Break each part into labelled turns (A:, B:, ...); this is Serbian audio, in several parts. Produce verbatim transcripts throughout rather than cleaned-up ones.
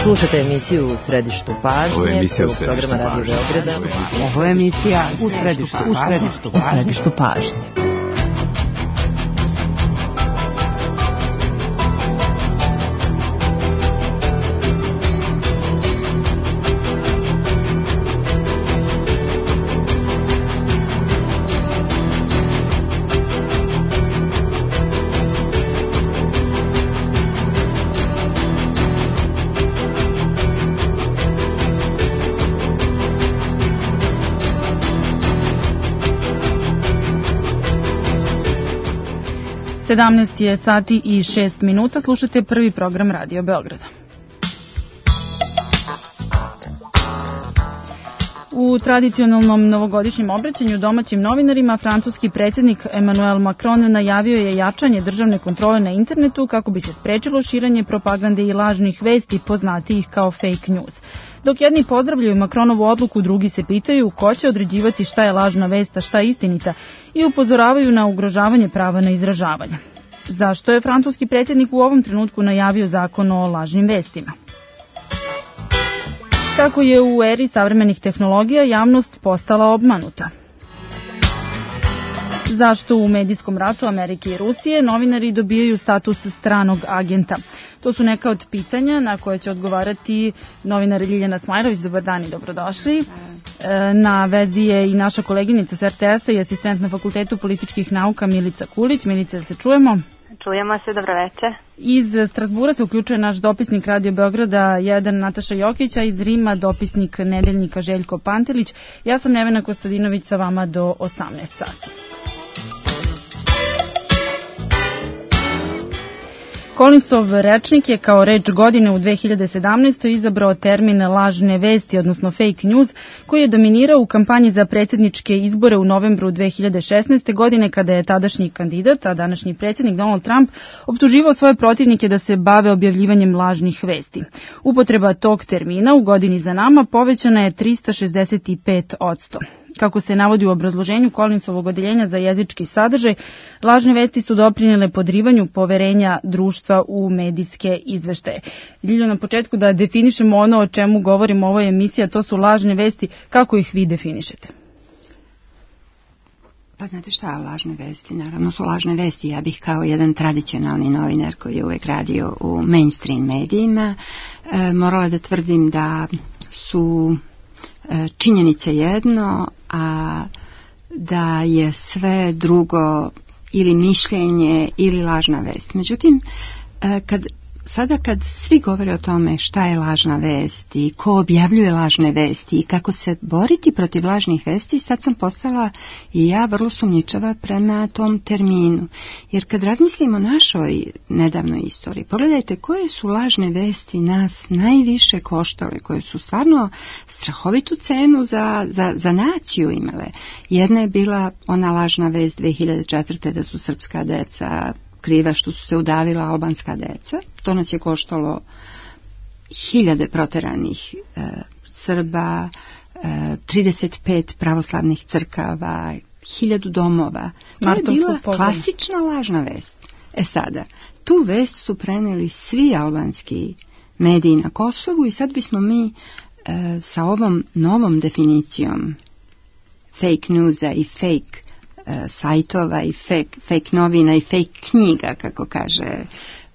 A: Slušate emisiju U središtu pažnje, prvog programa Radio Beograda.
B: Ovo je emisija U središtu, u središtu, u središtu pažnje.
C: sedamnaest je sati i šest minuta, slušate prvi program Radio Beograda. U tradicionalnom novogodišnjem obraćanju domaćim novinarima, francuski predsjednik Emmanuel Macron najavio je jačanje državne kontrole na internetu kako bi se sprečilo širenje propagande i lažnih vesti poznatijih kao fake news. Dok jedni pozdravljaju Macronovu odluku, drugi se pitaju ko će određivati šta je lažna vest, a šta je istinita i upozoravaju na ugrožavanje prava na izražavanje. Zašto je francuski predsjednik u ovom trenutku najavio zakon o lažnim vestima? Kako je u eri savremenih tehnologija javnost postala obmanuta? Zašto u medijskom ratu Amerike i Rusije novinari dobijaju status stranog agenta? To su neka od pitanja na koje će odgovarati novinar Ljiljana Smajrović. Dobar dan i dobrodošli. Na vezi je i naša koleginica s er te esa i asistent na Fakultetu političkih nauka Milica Kulić. Milica, da se čujemo?
D: Čujemo se, dobro večer.
C: Iz Strasbura se uključuje naš dopisnik Radio Beograda jedan Nataša Jokić, a iz Rima dopisnik Nedeljnika Željko Pantelić. Ja sam Nevena Kostadinović, sa vama do osamnaest sati. Collinsov rečnik je kao reč godine u dve hiljade sedamnaestoj izabrao termin lažne vesti, odnosno fake news, koji je dominirao u kampanji za predsjedničke izbore u novembru dve hiljade šesnaeste. godine, kada je tadašnji kandidat, a današnji predsjednik Donald Trump, optuživao svoje protivnike da se bave objavljivanjem lažnih vesti. Upotreba tog termina u godini za nama povećana je trista šezdeset pet posto. Kako se navodi u obrazloženju Collinsovog odeljenja za jezički sadržaj, lažne vesti su doprinele podrivanju poverenja društva u medijske izveštaje. Ljiljo, na početku da definišemo ono o čemu govorimo u ovoj emisiji, a to su lažne vesti. Kako ih vi definišete?
B: Pa znate šta, lažne vesti, naravno su lažne vesti. Ja bih kao jedan tradicionalni novinar koji je uvek radio u mainstream medijima e, morala da tvrdim da su činjenice jedno, a da je sve drugo ili mišljenje ili lažna vest. Međutim, kad, sada kad svi govore o tome šta je lažna vest i ko objavljuje lažne vesti i kako se boriti protiv lažnih vesti, sad sam postala i ja vrlo sumnjičava prema tom terminu. Jer kad razmislimo o našoj nedavnoj istoriji, pogledajte koje su lažne vesti nas najviše koštale, koje su stvarno strahovitu cenu za, za, za naciju imale. Jedna je bila ona lažna vest dve hiljade četvrte. da su srpska deca kriva što su se udavila albanska deca. To nas je koštalo hiljade proteranih e, Srba, e, trideset pet pravoslavnih crkava, hiljadu domova. To je bila klasična lažna vest. E sada, tu vest su preneli svi albanski mediji na Kosovu i sad bismo mi e, sa ovom novom definicijom fake newsa i fake sajtova i fake, fake novina i fake knjiga, kako kaže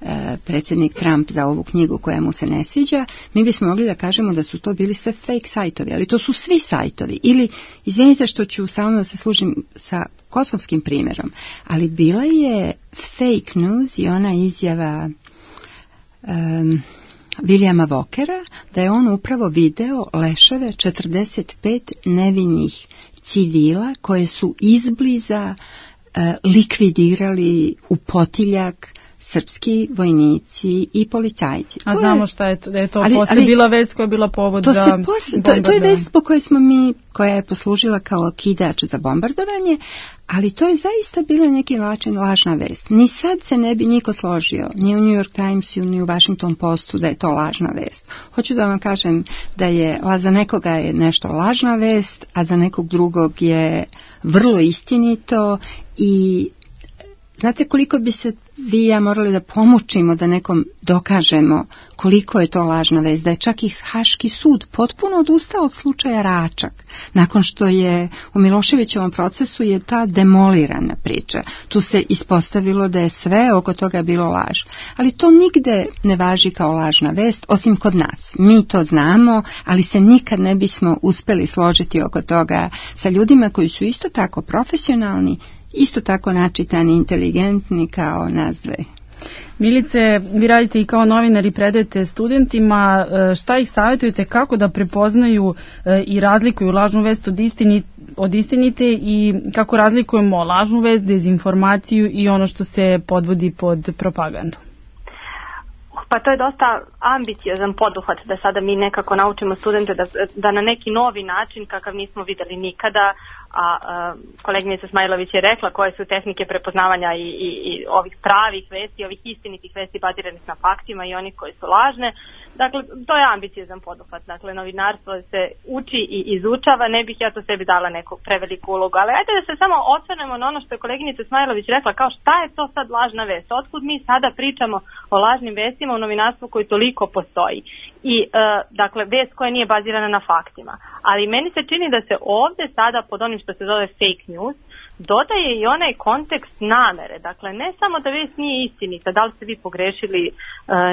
B: e, predsjednik Trump za ovu knjigu koja mu se ne sviđa, mi bismo mogli da kažemo da su to bili sve fake sajtovi, ali to su svi sajtovi. Ili, izvinite što ću samo da se služim sa kosovskim primjerom, ali bila je fake news i ona izjava um, Williama Walkera da je on upravo video leševe četrdeset pet nevinih civila koje su izbliza e, likvidirali u potiljak srpski vojnici i policajci.
C: A to znamo je, šta je to, da je to ali, posle ali, bila vest koja je bila povod to za
B: posle, to, to je vest po kojoj smo mi, koja je poslužila kao kidač za bombardovanje, ali to je zaista bila neki način lažna vest. Ni sad se ne bi niko složio, ni u New York Timesu, ni u Washington Postu da je to lažna vest. Hoću da vam kažem da je, za nekoga je nešto lažna vest, a za nekog drugog je vrlo istinito i znate koliko bi se vi i ja morali da pomučimo da nekom dokažemo koliko je to lažna vest, da je čak i Haški sud potpuno odustao od slučaja Račak. Nakon što je u Miloševićevom procesu je ta demolirana priča. Tu se ispostavilo da je sve oko toga bilo laž. Ali to nigde ne važi kao lažna vest, osim kod nas. Mi to znamo, ali se nikad ne bismo uspeli složiti oko toga sa ljudima koji su isto tako profesionalni, isto tako načitani, inteligentni kao nas dve.
C: Milice, vi radite i kao novinar i predajete studentima, šta ih savjetujete kako da prepoznaju i razlikuju lažnu vest od, istini, od istinite i kako razlikujemo lažnu vest, dezinformaciju i ono što se podvodi pod propagandu?
D: Pa to je dosta ambiciozan poduhvat da sada mi nekako naučimo studente da, da na neki novi način kakav nismo videli nikada, a, a koleginica Smajlović je rekla koje su tehnike prepoznavanja i, i, i ovih pravih vesti, ovih istinitih vesti baziranih na faktima i onih koji su lažne. Dakle, to je ambiciozan poduhvat. Dakle, novinarstvo se uči i izučava, ne bih ja to sebi dala neku preveliku ulogu. Ali ajde da se samo osvrnemo na ono što je koleginica Smajlović rekla, kao šta je to sad lažna vest? Otkud mi sada pričamo o lažnim vestima u novinarstvu koji toliko postoji? I, e, dakle, vest koja nije bazirana na faktima. Ali meni se čini da se ovde sada pod onim što se zove fake news dodaje i onaj kontekst namere. Dakle, ne samo da vest nije istinita, da li ste vi pogrešili e,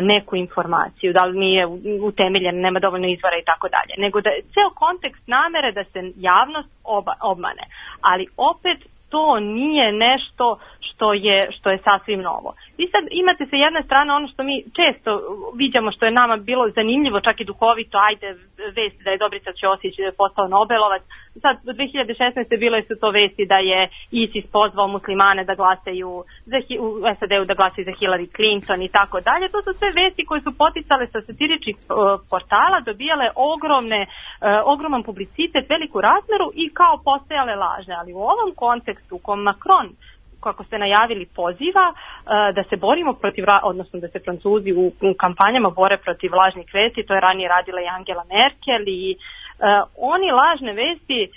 D: neku informaciju, da li nije utemeljena, nema dovoljno izvora i tako dalje, nego da je ceo kontekst namere da se javnost oba, obmane. Ali opet to nije nešto što je, što je sasvim novo. Vi sad imate sa jedne strane ono što mi često viđamo, što je nama bilo zanimljivo, čak i duhovito, ajde vesti da je Dobrica Ćosić postao Nobelovac. Sad, do dve hiljade šesnaeste bile su to vesti da je ISIS pozvao muslimane da glasaju za, u S A D-u da glasaju za Hillary Clinton i tako dalje. To su sve vesti koje su poticale sa satiričnih uh, portala, dobijale ogromne, uh, ogroman publicitet, veliku razmeru i kao postajale lažne. Ali u ovom kontekstu u kom Macron, kako ste najavili, poziva uh, da se borimo protiv, odnosno da se Francuzi u, u kampanjama bore protiv lažnih vesti, to je ranije radila i Angela Merkel i Uh, oni lažne vesti uh,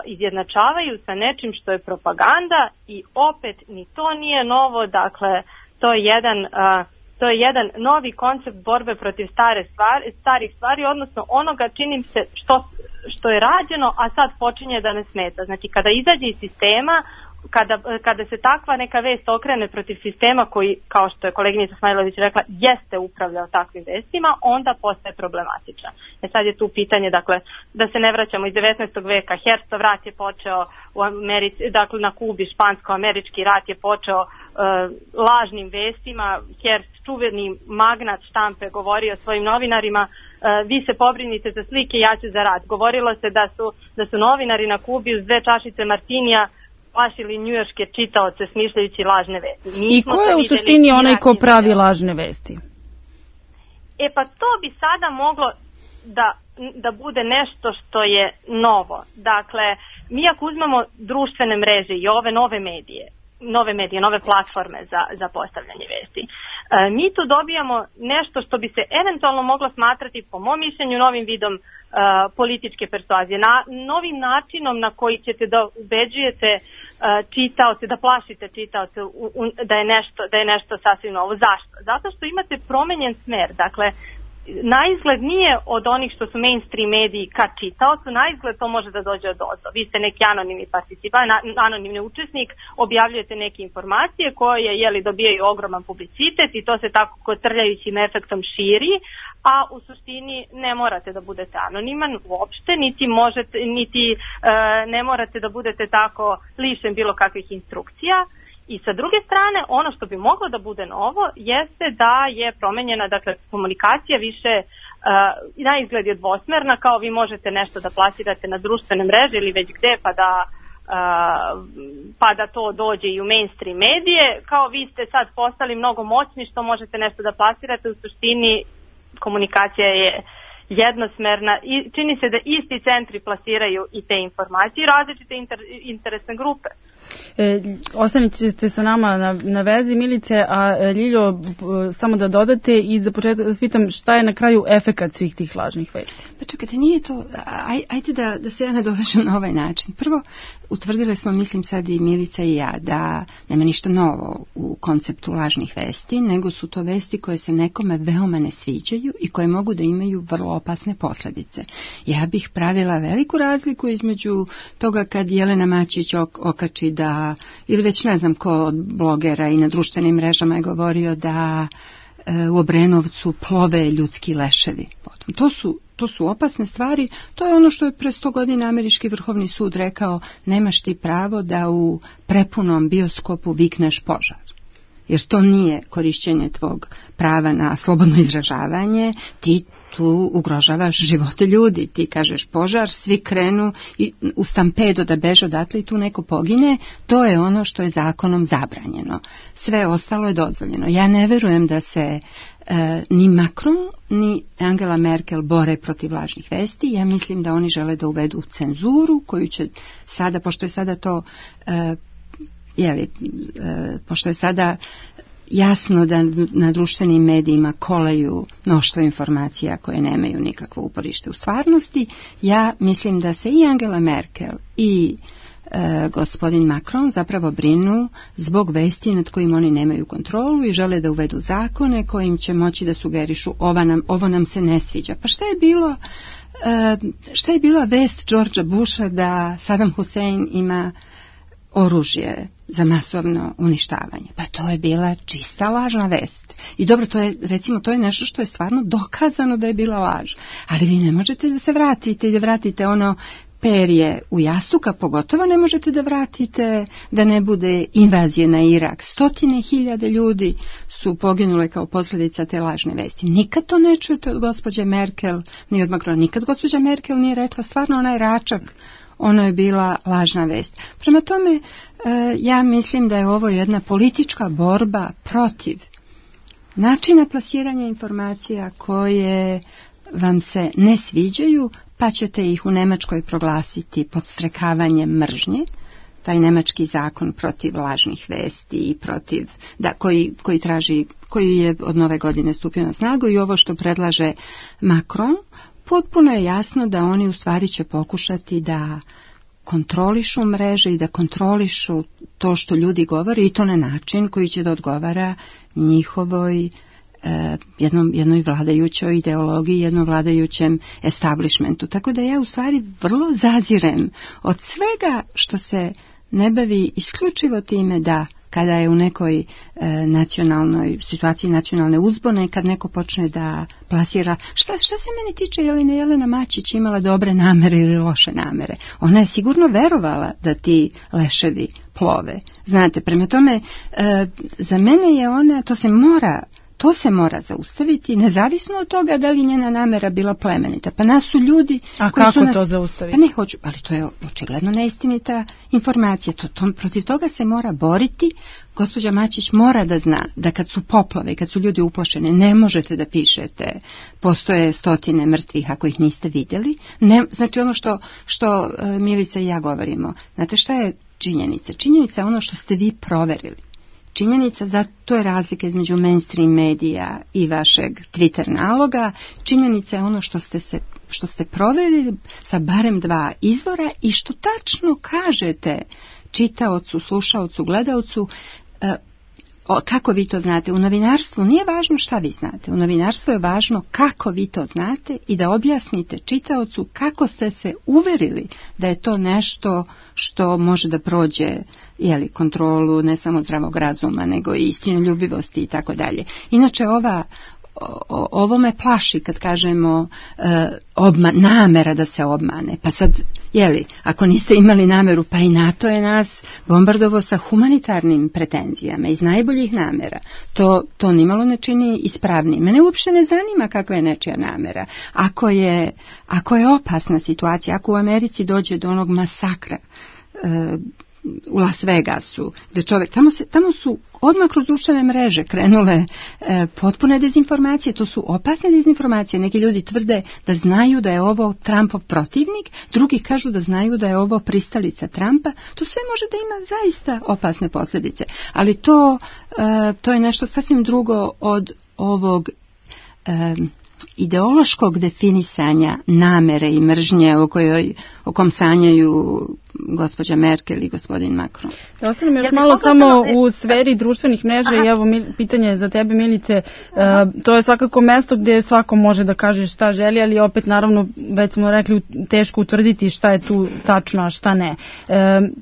D: izjednačavaju sa nečim što je propaganda i opet ni to nije novo, dakle to je jedan, uh, to je jedan novi koncept borbe protiv stare stvari, starih stvari, odnosno onoga čini se što, što je rađeno, a sad počinje da ne smeta. Znači kada izađe iz sistema, Kada, kada se takva neka vest okrene protiv sistema koji, kao što je koleginica Smajlović rekla, jeste upravljao takvim vestima, onda postaje problematična. E sad je tu pitanje, dakle, da se ne vraćamo iz devetnaestog veka, Herstov rat je počeo u Americi, dakle na Kubi, špansko-američki rat je počeo uh, lažnim vestima, Herst, čuveni magnat štampe, govorio svojim novinarima, uh, vi se pobrinite za slike, ja ću za rat. Govorilo se da su, da su novinari na Kubi uz dve čašice martinija plašili njujorške čitaoce smišljajući lažne vesti.
C: I ko je u suštini onaj ko pravi lažne vesti?
D: E pa to bi sada moglo da, da bude nešto što je novo. Dakle, mi ako uzmemo društvene mreže i ove nove medije, nove medije, nove platforme za, za postavljanje vesti, e, mi tu dobijamo nešto što bi se eventualno moglo smatrati, po mom mišljenju, novim vidom uh, političke persuazije, na, novim načinom na koji ćete da ubeđujete uh, čitaoce, da plašite čitaoce u, u, da, je nešto, da je nešto sasvim novo. Zašto? Zato što imate promenjen smer. Dakle, naizgled nije od onih što su mainstream mediji ka čitaocu, naizgled to može da dođe od ozdo. Vi ste neki anonimni participant, anonimni učesnik, objavljujete neke informacije koje jeli, dobijaju ogroman publicitet i to se tako kotrljajućim efektom širi, a u suštini ne morate da budete anoniman uopšte, niti, možete, niti e, ne morate da budete tako lišen bilo kakvih instrukcija. I sa druge strane, ono što bi moglo da bude novo jeste da je promenjena, dakle, komunikacija više uh, na izgled je dvosmerna, kao vi možete nešto da plasirate na društvene mreže ili već gde, pa da, uh, pa da to dođe i u mainstream medije, kao vi ste sad postali mnogo moćni što možete nešto da plasirate, u suštini komunikacija je jednosmerna i čini se da isti centri plasiraju i te informacije i različite inter, interesne grupe.
C: E, Ostanite sa nama na, na vezi, Milice, a Ljiljo, samo da dodate i za početak da pitam šta je na kraju efekat svih tih lažnih vesti.
B: Pa čekajte, nije to, aj, ajde da, da se ja nadovežem na ovaj način. Prvo, utvrdili smo, mislim sad i Milica i ja, da nema ništa novo u konceptu lažnih vesti, nego su to vesti koje se nekome veoma ne sviđaju i koje mogu da imaju vrlo opasne posljedice. Ja bih pravila veliku razliku između toga kad Jelena Mačić ok, okači da, ili već ne znam ko od blogera i na društvenim mrežama je govorio da e, u Obrenovcu plove ljudski leševi. Potom, to su To su opasne stvari, to je ono što je pre sto godina Američki vrhovni sud rekao, nemaš ti pravo da u prepunom bioskopu vikneš požar. Jer to nije korišćenje tvog prava na slobodno izražavanje, ti tu ugrožavaš živote ljudi, ti kažeš požar, svi krenu i u stampedo da beže odatle i tu neko pogine, to je ono što je zakonom zabranjeno. Sve ostalo je dozvoljeno. Ja ne verujem da se e, ni Macron ni Angela Merkel bore protiv lažnih vesti, ja mislim da oni žele da uvedu cenzuru koju će sada, pošto je sada to e, jeli, e, pošto je sada jasno da na društvenim medijima kolaju mnoštvo informacija koje nemaju nikakvo uporište u stvarnosti, ja mislim da se i Angela Merkel i e, gospodin Macron zapravo brinu zbog vesti nad kojim oni nemaju kontrolu i žele da uvedu zakone kojim će moći da sugerišu ovo nam, ovo nam se ne sviđa. Pa šta je bilo, e, šta je bila vest Georgea Busha da Saddam Hussein ima oružje za masovno uništavanje? Pa to je bila čista lažna vest. I dobro, to je, recimo, to je nešto što je stvarno dokazano da je bila laž. Ali vi ne možete da se vratite i da vratite ono perje u jastuka, pogotovo ne možete da vratite da ne bude invazije na Irak. Stotine hiljade ljudi su poginule kao posljedica te lažne vesti. Nikad to ne čujete od gospođe Merkel, ni od Macrona. Nikad gospođa Merkel nije rekla stvarno onaj račak, ono je bila lažna vest. Prema tome, ja mislim da je ovo jedna politička borba protiv načina plasiranja informacija koje vam se ne sviđaju, pa ćete ih u Nemačkoj proglasiti podstrekavanjem mržnje. Taj nemački zakon protiv lažnih vesti i protiv, da, koji, koji traži, koji je od nove godine stupio na snagu, i ovo što predlaže Macron, potpuno je jasno da oni u stvari će pokušati da kontrolišu mreže i da kontrolišu to što ljudi govore, i to na način koji će da odgovara njihovoj eh, jednom, jednoj vladajućoj ideologiji, jednom vladajućem establishmentu. Tako da ja u stvari vrlo zazirem od svega što se ne bavi isključivo time da kada je u nekoj e, nacionalnoj situaciji nacionalne uzbune, kad neko počne da plasira, šta, šta se meni tiče, je li ne Jelena Mačić imala dobre namere ili loše namere? Ona je sigurno verovala da ti leševi plove. Znate, prema tome, e, za mene je ona, to se mora To se mora zaustaviti, nezavisno od toga da li njena namera bila plemenita. Pa nas su ljudi...
C: A
B: koji
C: kako
B: su nas,
C: to zaustaviti?
B: Pa ne hoću, ali to je očigledno neistinita informacija. To, to, protiv toga se mora boriti. Gospođa Mačić mora da zna da kad su poplave, kad su ljudi uplašeni, ne možete da pišete postoje stotine mrtvih ako ih niste vidjeli. Ne, znači ono što, što uh, Milica i ja govorimo. Znate šta je činjenica? Činjenica je ono što ste vi proverili. Činjenica, za to je razlika između mainstream medija i vašeg Twitter naloga. Činjenica je ono što ste se što ste provjerili sa barem dva izvora i što tačno kažete čitaocu, slušaocu, gledaocu. E, o, kako vi to znate? U novinarstvu nije važno šta vi znate. U novinarstvu je važno kako vi to znate i da objasnite čitaocu kako ste se uverili da je to nešto što može da prođe, jeli, kontrolu ne samo zdravog razuma, nego i istinoljubivosti i tako dalje. Inače, ova O, ovo me plaši kad kažemo e, obma, namera da se obmane. Pa sad, jeli, ako niste imali nameru, pa i NATO je nas bombardovao sa humanitarnim pretenzijama iz najboljih namera. To, to nimalo ne čini ispravnim. Mene uopšte ne zanima kakva je nečija namera. Ako je, ako je opasna situacija, ako u Americi dođe do onog masakra, e, u Las Vegasu, gde čovjek, tamo, se, tamo su odmah kroz društvene mreže krenule e, potpune dezinformacije, to su opasne dezinformacije. Neki ljudi tvrde da znaju da je ovo Trumpov protivnik, drugi kažu da znaju da je ovo pristalica Trumpa. To sve može da ima zaista opasne posljedice, ali to, e, to je nešto sasvim drugo od ovog e, ideološkog definisanja namere i mržnje o kojoj o kom sanjaju gospođa Merkel i gospodin Macron.
C: Da ostanem još ja malo samo u sferi društvenih mreža. Aha. I evo pitanje za tebe, Milice. E, to je svakako mesto gdje svako može da kaže šta želi, ali opet naravno već smo rekli teško utvrditi šta je tu tačno, a šta ne. E,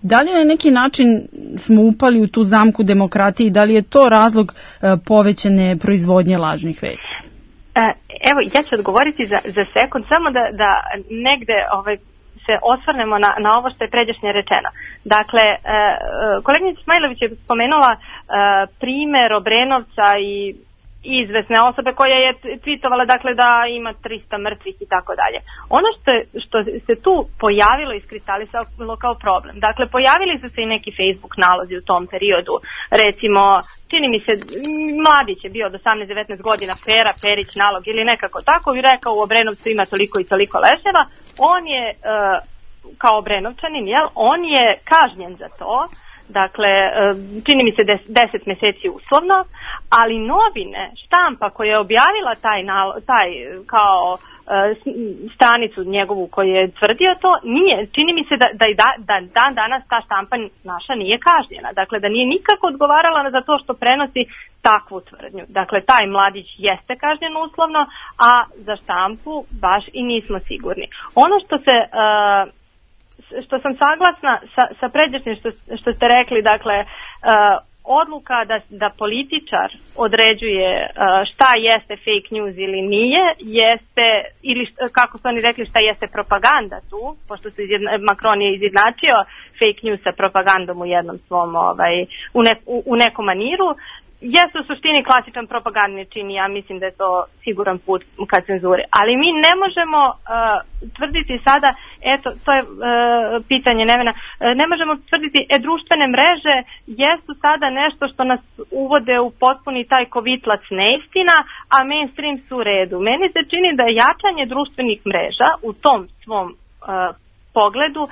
C: da li na neki način smo upali u tu zamku demokratije i da li je to razlog e, povećane proizvodnje lažnih vesti?
D: Evo, ja ću odgovoriti za, za sekund, samo da, da negde ovaj, se osvrnemo na, na ovo što je pređašnje rečeno. Dakle, e, koleginica Smajlović je spomenula e, primjer Obrenovca i izvesne osobe koja je tvitovala, dakle, da ima trista mrtvih i tako dalje. Ono što, je, što se tu pojavilo i iskristalisalo kao problem, dakle, pojavili su se i neki Facebook nalozi u tom periodu, recimo, čini mi se, mladić je bio od osamnaest devetnaest godina, Pera, Perić nalog ili nekako tako, i rekao u Obrenovcu ima toliko i toliko leševa, on je, e, kao Obrenovčanin, jel, on je kažnjen za to. Dakle, čini mi se deset mjeseci uslovno, ali novine, štampa koja je objavila taj, taj kao stranicu njegovu koju je tvrdio to, nije, čini mi se da, da, da dan danas ta štampa naša nije kažnjena. Dakle, da nije nikako odgovarala za to što prenosi takvu tvrdnju. Dakle, taj mladić jeste kažnjen uslovno, a za štampu baš i nismo sigurni. Ono što se... Uh, što sam saglasna sa, sa pređašnjim što, što ste rekli, dakle, uh, odluka da, da političar određuje uh, šta jeste fake news ili nije, jeste, ili šta, kako su oni rekli, šta jeste propaganda tu, pošto su izjedna, Macron je izjednačio fake news sa propagandom u jednom svom, ovaj, u, ne, u, u nekom maniru, jeste u suštini klasičan propagandni čin, ja mislim da je to siguran put ka cenzuri. Ali mi ne možemo uh, tvrditi sada, eto, to je uh, pitanje Nevena, uh, ne možemo tvrditi, e, društvene mreže jesu sada nešto što nas uvode u potpuni taj kovitlac neistina, a mainstream su u redu. Meni se čini da jačanje društvenih mreža u tom svom uh, pogledu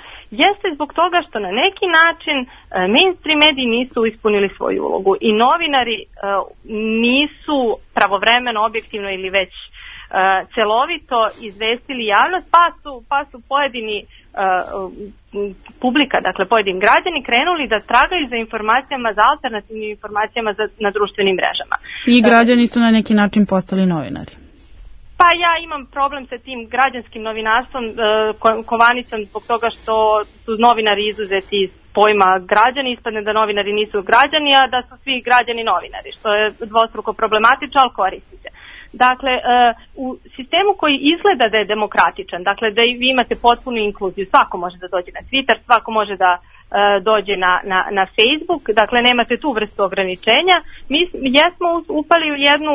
D: jeste zbog toga što na neki način uh, mainstream mediji nisu ispunili svoju ulogu i novinari uh, nisu pravovremeno, objektivno ili već uh, celovito izvestili javnost, pa su, pa su pojedini uh, publika, dakle pojedini građani krenuli da tragaju za informacijama, za alternativnim informacijama za, na društvenim mrežama.
C: I građani su na neki način postali novinari.
D: Pa ja imam problem sa tim građanskim novinarstvom, kovanicom, zbog toga što su novinari izuzeti iz pojma građani, ispadne da novinari nisu građani, a da su svi građani novinari, što je dvostruko problematično, ali koristi se. Dakle, u sistemu koji izgleda da je demokratičan, dakle da vi imate potpunu inkluziju, svako može da dođe na Twitter, svako može da dođe na, na, na Facebook, dakle nemate tu vrstu ograničenja. Mi jesmo upali u jednu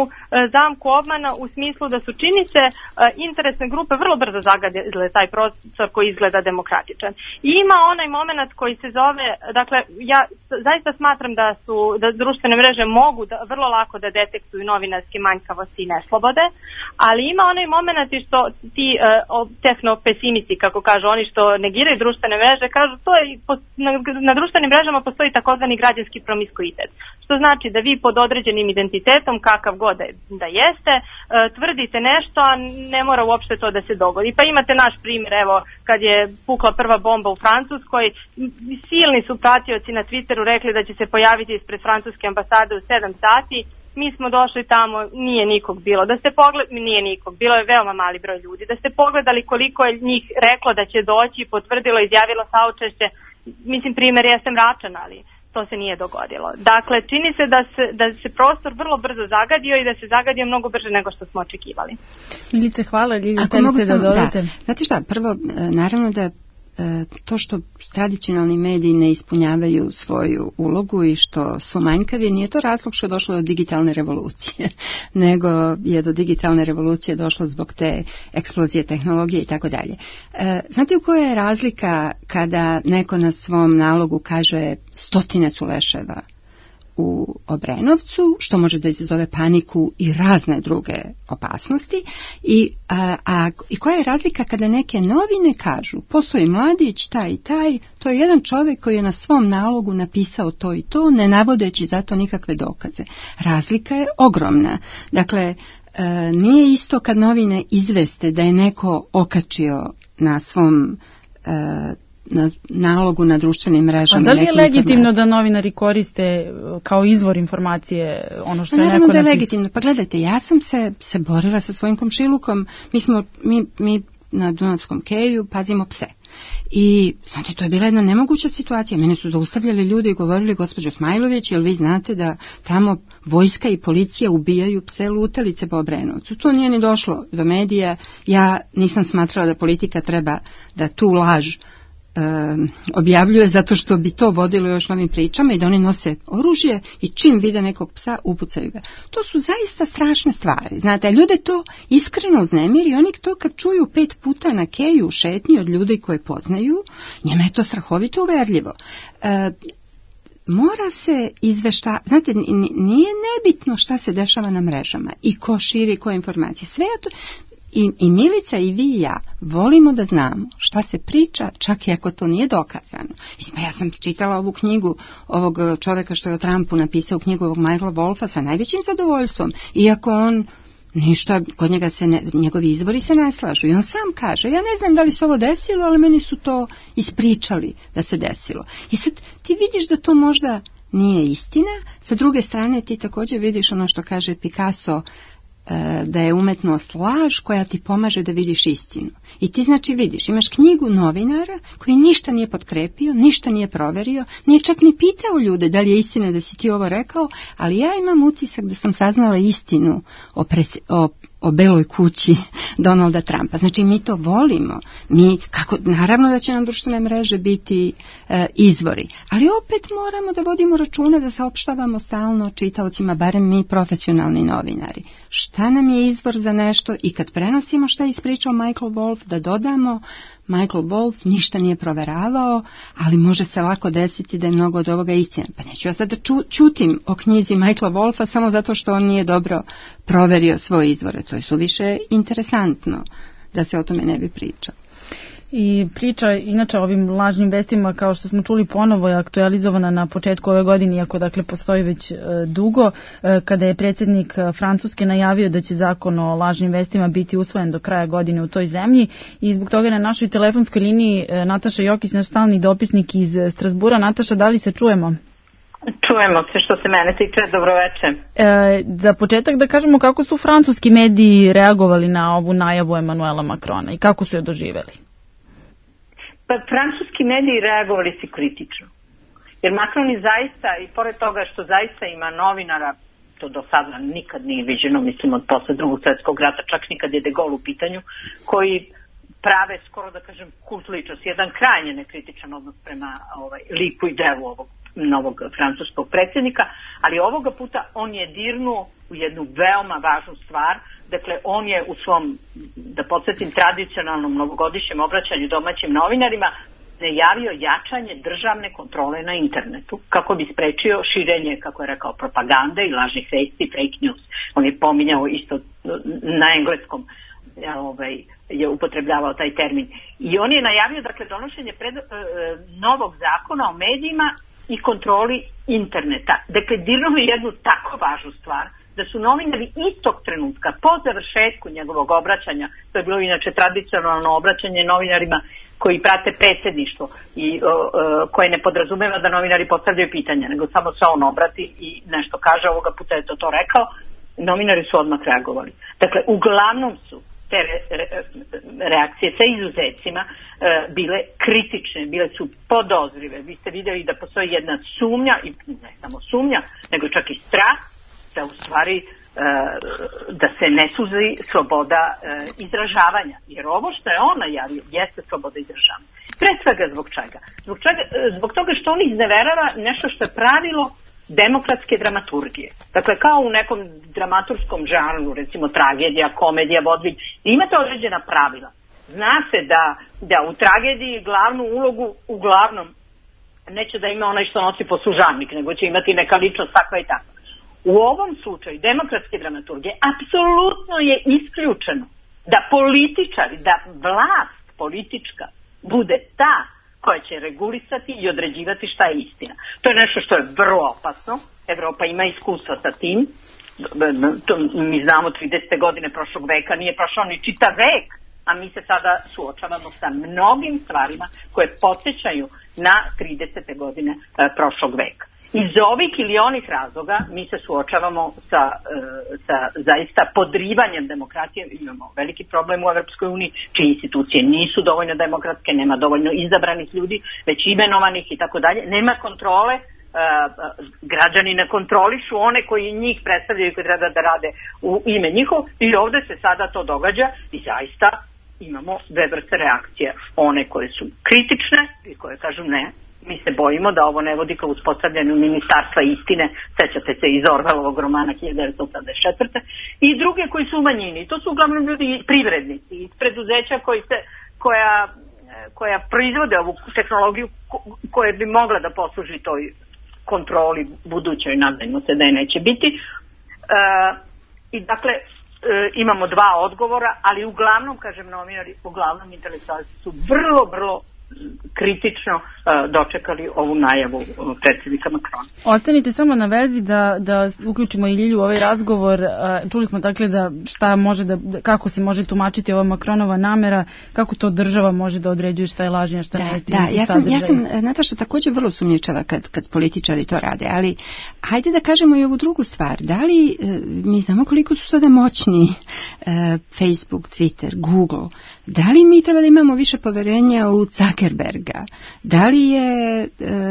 D: zamku obmana u smislu da su, čini se, interesne grupe vrlo brzo zagadile taj prostor koji izgleda demokratičan. I ima onaj moment koji se zove, dakle ja zaista smatram da su, da društvene mreže mogu da, vrlo lako da detektuju novinarske manjkavosti i neslobode, ali ima onaj moment što ti uh, tehnopesimisti, kako kažu oni što negiraju društvene mreže, kažu to je Na, na društvenim mrežama postoji takozvani građanski promiskuitet, što znači da vi pod određenim identitetom, kakav god da jeste, e, tvrdite nešto, a ne mora uopšte to da se dogodi. Pa imate naš primjer, evo, kad je pukla prva bomba u Francuskoj, silni su pratioci na Twitteru rekli da će se pojaviti ispred francuske ambasade u sedam sati, mi smo došli tamo, nije nikog bilo. Da ste pogledali, nije nikog, bilo je veoma mali broj ljudi. Da ste pogledali koliko je njih reklo da će doći, potvrdilo, izjavilo saučešće, mislim, primjer jeste mračan, ali to se nije dogodilo. Dakle, čini se da se, da se prostor vrlo brzo zagadio i da se zagadio mnogo brže nego što smo očekivali.
C: Milice, hvala. Ljilja, ako mogu
B: da dodate. Da. Znate šta, prvo, naravno da to što tradicionalni mediji ne ispunjavaju svoju ulogu i što su manjkavi, nije to razlog što je došlo do digitalne revolucije, nego je do digitalne revolucije došlo zbog te eksplozije tehnologije i tako dalje. Znate u kojoj je razlika kada neko na svom nalogu kaže stotine su leševa u Obrenovcu, što može da izazove paniku i razne druge opasnosti, i, a, a, i koja je razlika kada neke novine kažu postoji mladić, taj i taj, to je jedan čovjek koji je na svom nalogu napisao to i to, ne navodeći zato nikakve dokaze. Razlika je ogromna. Dakle, e, nije isto kad novine izveste da je neko okačio na svom e, na nalogu na društvenim mrežama.
C: A da li je legitimno da novinari koriste kao izvor informacije ono što je neko napisao?
B: Naravno da je legitimno. Pa gledajte, ja sam se, se borila sa svojim komšilukom. Mi smo, mi, mi na Dunavskom keju pazimo pse. I, znate, to je bila jedna nemoguća situacija. Mene su zaustavljali ljudi i govorili, gospođo Smajlović, jel vi znate da tamo vojska i policija ubijaju pse lutalice po Obrenovcu? To nije ni došlo do medija. Ja nisam smatrala da politika treba da tu laž Um, objavljuje zato što bi to vodilo još novim pričama i da oni nose oružje i čim vide nekog psa upucaju ga. To su zaista strašne stvari. Znate, ljude to iskreno uznemiri i oni to kad čuju pet puta na keju u šetnji od ljudi koje poznaju, njima je to strahovito uverljivo. Uh, mora se izvešta, znate, nije nebitno šta se dešava na mrežama i ko širi koje informacije. Sve to. I, I Milica i vi i ja volimo da znamo šta se priča, čak i ako to nije dokazano. Isma, ja sam čitala ovu knjigu ovog čoveka što je o Trumpu napisao, knjigu ovog Michaela Wolfa sa najvećim zadovoljstvom, iako on ništa, kod njega se ne, njegovi izvori se ne slažu. I on sam kaže, ja ne znam da li se ovo desilo, ali meni su to ispričali da se desilo. I sad ti vidiš da to možda nije istina, sa druge strane ti također vidiš ono što kaže Picasso, da je umetnost laž koja ti pomaže da vidiš istinu. I ti znači vidiš, imaš knjigu novinara koji ništa nije potkrepio, ništa nije proverio, nije čak ni pitao ljude da li je istina da si ti ovo rekao, ali ja imam utisak da sam saznala istinu o, presi, o, o beloj kući Donalda Trumpa. Znači mi to volimo. Mi, kako, naravno da će nam društvene mreže biti e, izvori, ali opet moramo da vodimo računa da saopštavamo stalno čitaocima, barem mi profesionalni novinari. Šta nam je izvor za nešto i kad prenosimo šta je ispričao Michael Wolf, da dodamo Michael Wolf ništa nije proveravao, ali može se lako desiti da je mnogo od ovoga istina. Pa neću ja sad da ču, čutim o knjizi Michaela Wolfa samo zato što on nije dobro proverio svoje izvore. To je suviše interesantno da se o tome ne bi pričao.
C: I priča inače o ovim lažnim vestima, kao što smo čuli, ponovo je aktualizovana na početku ove godine, iako dakle postoji već e, dugo, e, kada je predsjednik Francuske najavio da će zakon o lažnim vestima biti usvojen do kraja godine u toj zemlji, i zbog toga na našoj telefonskoj liniji e, Nataša Jokić, naš stalni dopisnik iz Strasbura. Nataša, da li se čujemo?
E: Čujemo se, što se mene tiče. Dobroveče.
C: E, za početak da kažemo kako su francuski mediji reagovali na ovu najavu Emanuela Macrona i kako su je doživeli.
E: Pa francuski mediji reagovali su kritično. Jer Macron je zaista, i pored toga što zaista ima novinara, to do sada nikad nije viđeno, mislim od posle drugog svjetskog rata, čak nikad je De Gaulle u pitanju, koji prave skoro da kažem kult ličnosti, jedan krajnje nekritičan odnos prema ovaj, liku i delu ovog novog francuskog predsjednika, ali ovoga puta on je dirnuo u jednu veoma važnu stvar. Dakle, on je u svom, da podsjetim, tradicionalnom novogodišnjem obraćanju domaćim novinarima najavio jačanje državne kontrole na internetu kako bi sprečio širenje, kako je rekao, propagande i lažnih vesti, fake news. On je pominjao isto na engleskom, ovaj, je upotrebljavao taj termin. I on je najavio, dakle, donošenje pred, e, novog zakona o medijima i kontroli interneta. Dakle, dirnuo je jednu tako važnu stvar, da su novinari istog trenutka, po završetku njegovog obraćanja, to je bilo inače tradicionalno obraćanje novinarima koji prate predsjedništvo i o, o, koje ne podrazumeva da novinari postavljaju pitanja, nego samo se on obrati i nešto kaže, ovoga puta je to to rekao, novinari su odmah reagovali. Dakle, uglavnom su te re, re, reakcije sa izuzecima e, bile kritične, bile su podozrive. Vi ste vidjeli da postoji jedna sumnja, i ne samo sumnja, nego čak i strah, da u stvari da se ne suzi sloboda izražavanja. Jer ovo što je on najavio jeste sloboda izražavanja. Pre svega zbog čega? Zbog, čega? Zbog toga što on izneverava nešto što je pravilo demokratske dramaturgije. Dakle, kao u nekom dramaturskom žanru, recimo tragedija, komedija, vodvilj, imate određena pravila. Zna se da, da u tragediji glavnu ulogu uglavnom neće da ima onaj što nosi poslužavnik, nego će imati neka ličnost takva i takva. U ovom slučaju demokratske dramaturgije apsolutno je isključeno da političari, da vlast politička bude ta koja će regulisati i određivati šta je istina. To je nešto što je vrlo opasno. Evropa ima iskustva sa tim. To mi znamo tridesete godine prošlog veka, nije prošao ni čitav vek, a mi se sada suočavamo sa mnogim stvarima koje podsjećaju na tridesete godine prošlog veka. Iz ovih ili onih razloga mi se suočavamo sa, sa zaista podrivanjem demokratije. Imamo veliki problem u Evropskoj uniji, čije institucije nisu dovoljno demokratske, nema dovoljno izabranih ljudi, već imenovanih i tako dalje. Nema kontrole, građani ne kontrolišu one koji njih predstavljaju i koji treba da rade u ime njihov, i ovde se sada to događa i zaista imamo dve vrste reakcije. One koje su kritične i koje kažu ne, mi se bojimo da ovo ne vodi ka uspostavljanju ministarstva istine, sećate se iz Orvelovog romana hiljadu devetsto osamdeset četvrte. i druge koji su u manjini. To su uglavnom ljudi privrednici iz preduzeća koji se, koja, koja proizvode ovu tehnologiju koja bi mogla da posluži toj kontroli budućoj, nadajmo se da je neće biti. E, I dakle, e, imamo dva odgovora, ali uglavnom, kažem, novinari, uglavnom intelektualci su vrlo, vrlo kritično uh, dočekali ovu najavu uh, predsjednika Makrona.
C: Ostanite samo na vezi da, da uključimo i Ljilju u ovaj razgovor. Uh, čuli smo dakle da šta može da, kako se može tumačiti ova Makronova namera, kako to država može da određuje šta je lažnje, šta
B: da,
C: ne.
B: Da, ja sam, ja sam, Nataša, također vrlo sumnjičava kad, kad političari to rade, ali hajde da kažemo i ovu drugu stvar. Da li, mi znamo koliko su sada moćni uh, Facebook, Twitter, Google, da li mi treba da imamo više poverenja u Zuckerberga? Da li, je,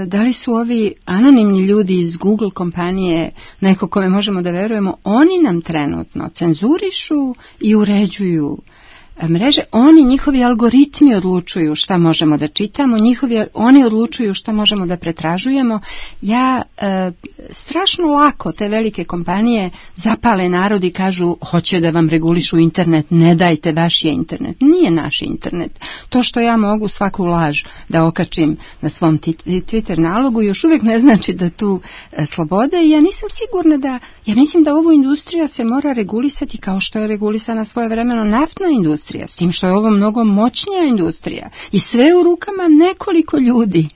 B: da li su ovi anonimni ljudi iz Google kompanije neko kome možemo da verujemo? Oni nam trenutno cenzurišu i uređuju mreže. Oni, njihovi algoritmi odlučuju šta možemo da čitamo, njihovi, oni odlučuju šta možemo da pretražujemo. Ja e, strašno lako te velike kompanije zapale narod i kažu hoće da vam regulišu internet, ne dajte, vaš je internet. Nije naš internet. To što ja mogu svaku laž da okačim na svom Twitter nalogu još uvijek ne znači da tu e, slobode, i ja nisam sigurna da, ja mislim da ovu industriju se mora regulisati kao što je regulisana svojevremeno naftna industrija, s tim što je ovo mnogo moćnija industrija i sve u rukama nekoliko ljudi.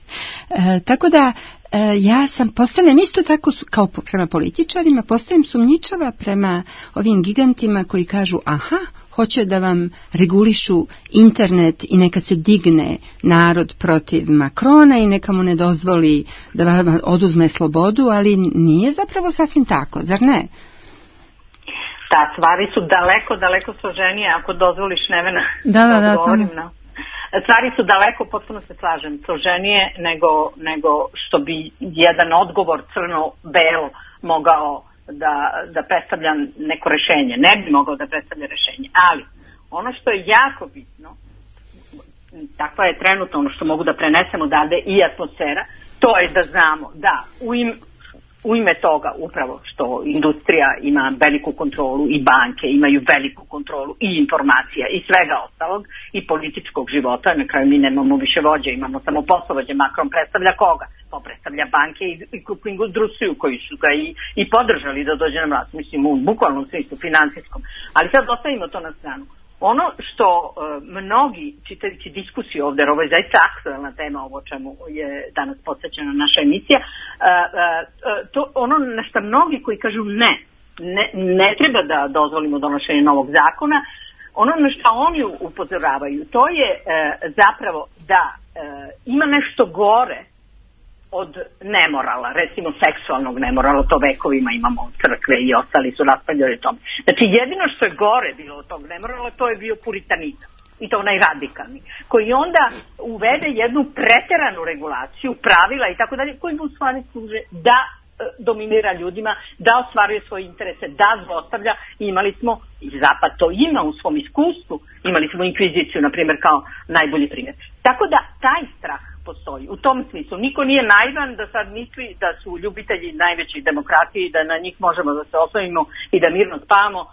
B: E, tako da e, ja sam postanem isto tako kao prema političarima, postajem sumnjičava prema ovim gigantima koji kažu aha, hoće da vam regulišu internet i neka se digne narod protiv Makrona i neka mu ne dozvoli da vam oduzme slobodu, ali nije zapravo sasvim tako, zar ne?
E: Da, stvari su daleko, daleko složenije, ako dozvoliš, Nevena,
C: da, da, da,
E: odgovorim na... Stvari su daleko, potpuno se slažem, složenije nego, nego što bi jedan odgovor crno-belo mogao da, da predstavlja neko rešenje. Ne bi mogao da predstavlja rešenje, ali ono što je jako bitno, takva je trenutno ono što mogu da prenesemo odavde i atmosfera, to je da znamo da u im U ime toga upravo što industrija ima veliku kontrolu i banke imaju veliku kontrolu i informacija i svega ostalog i političkog života, na kraju mi nemamo više vođe, imamo samo poslovođe. Macron predstavlja koga? Pa predstavlja banke i, i krupnu industriju koji su ga i, i podržali da dođe na vlast, mislim u bukvalnom smislu, finansijskom. Ali sad ostavimo to na stranu. Ono što uh, mnogi, čitajući diskusiju ovdje, jer ovo je zaista aktualna tema, ovo čemu je danas posvećena naša emisija, uh, uh, to ono na što mnogi koji kažu ne, ne, ne treba da dozvolimo donošenje novog zakona, ono na što oni upozoravaju, to je uh, zapravo da uh, ima nešto gore od nemorala, recimo seksualnog nemorala, to vekovima imamo crkve i ostali su raspravljali o tome. Znači jedino što je gore bilo od tog nemorala, to je bio puritanizam, i to onaj radikalni, koji onda uvede jednu preteranu regulaciju, pravila i tako dalje, koji mu u stvari služe da dominira ljudima, da ostvaruje svoje interese, da zlostavlja. Imali smo, i Zapad to ima u svom iskustvu, imali smo inkviziciju, na primjer, kao najbolji primjer. Tako da taj strah postoji. U tom smislu niko nije naivan da sad misli da su ljubitelji najvećih demokratije i da na njih možemo da se oslonimo i da mirno spavamo uh,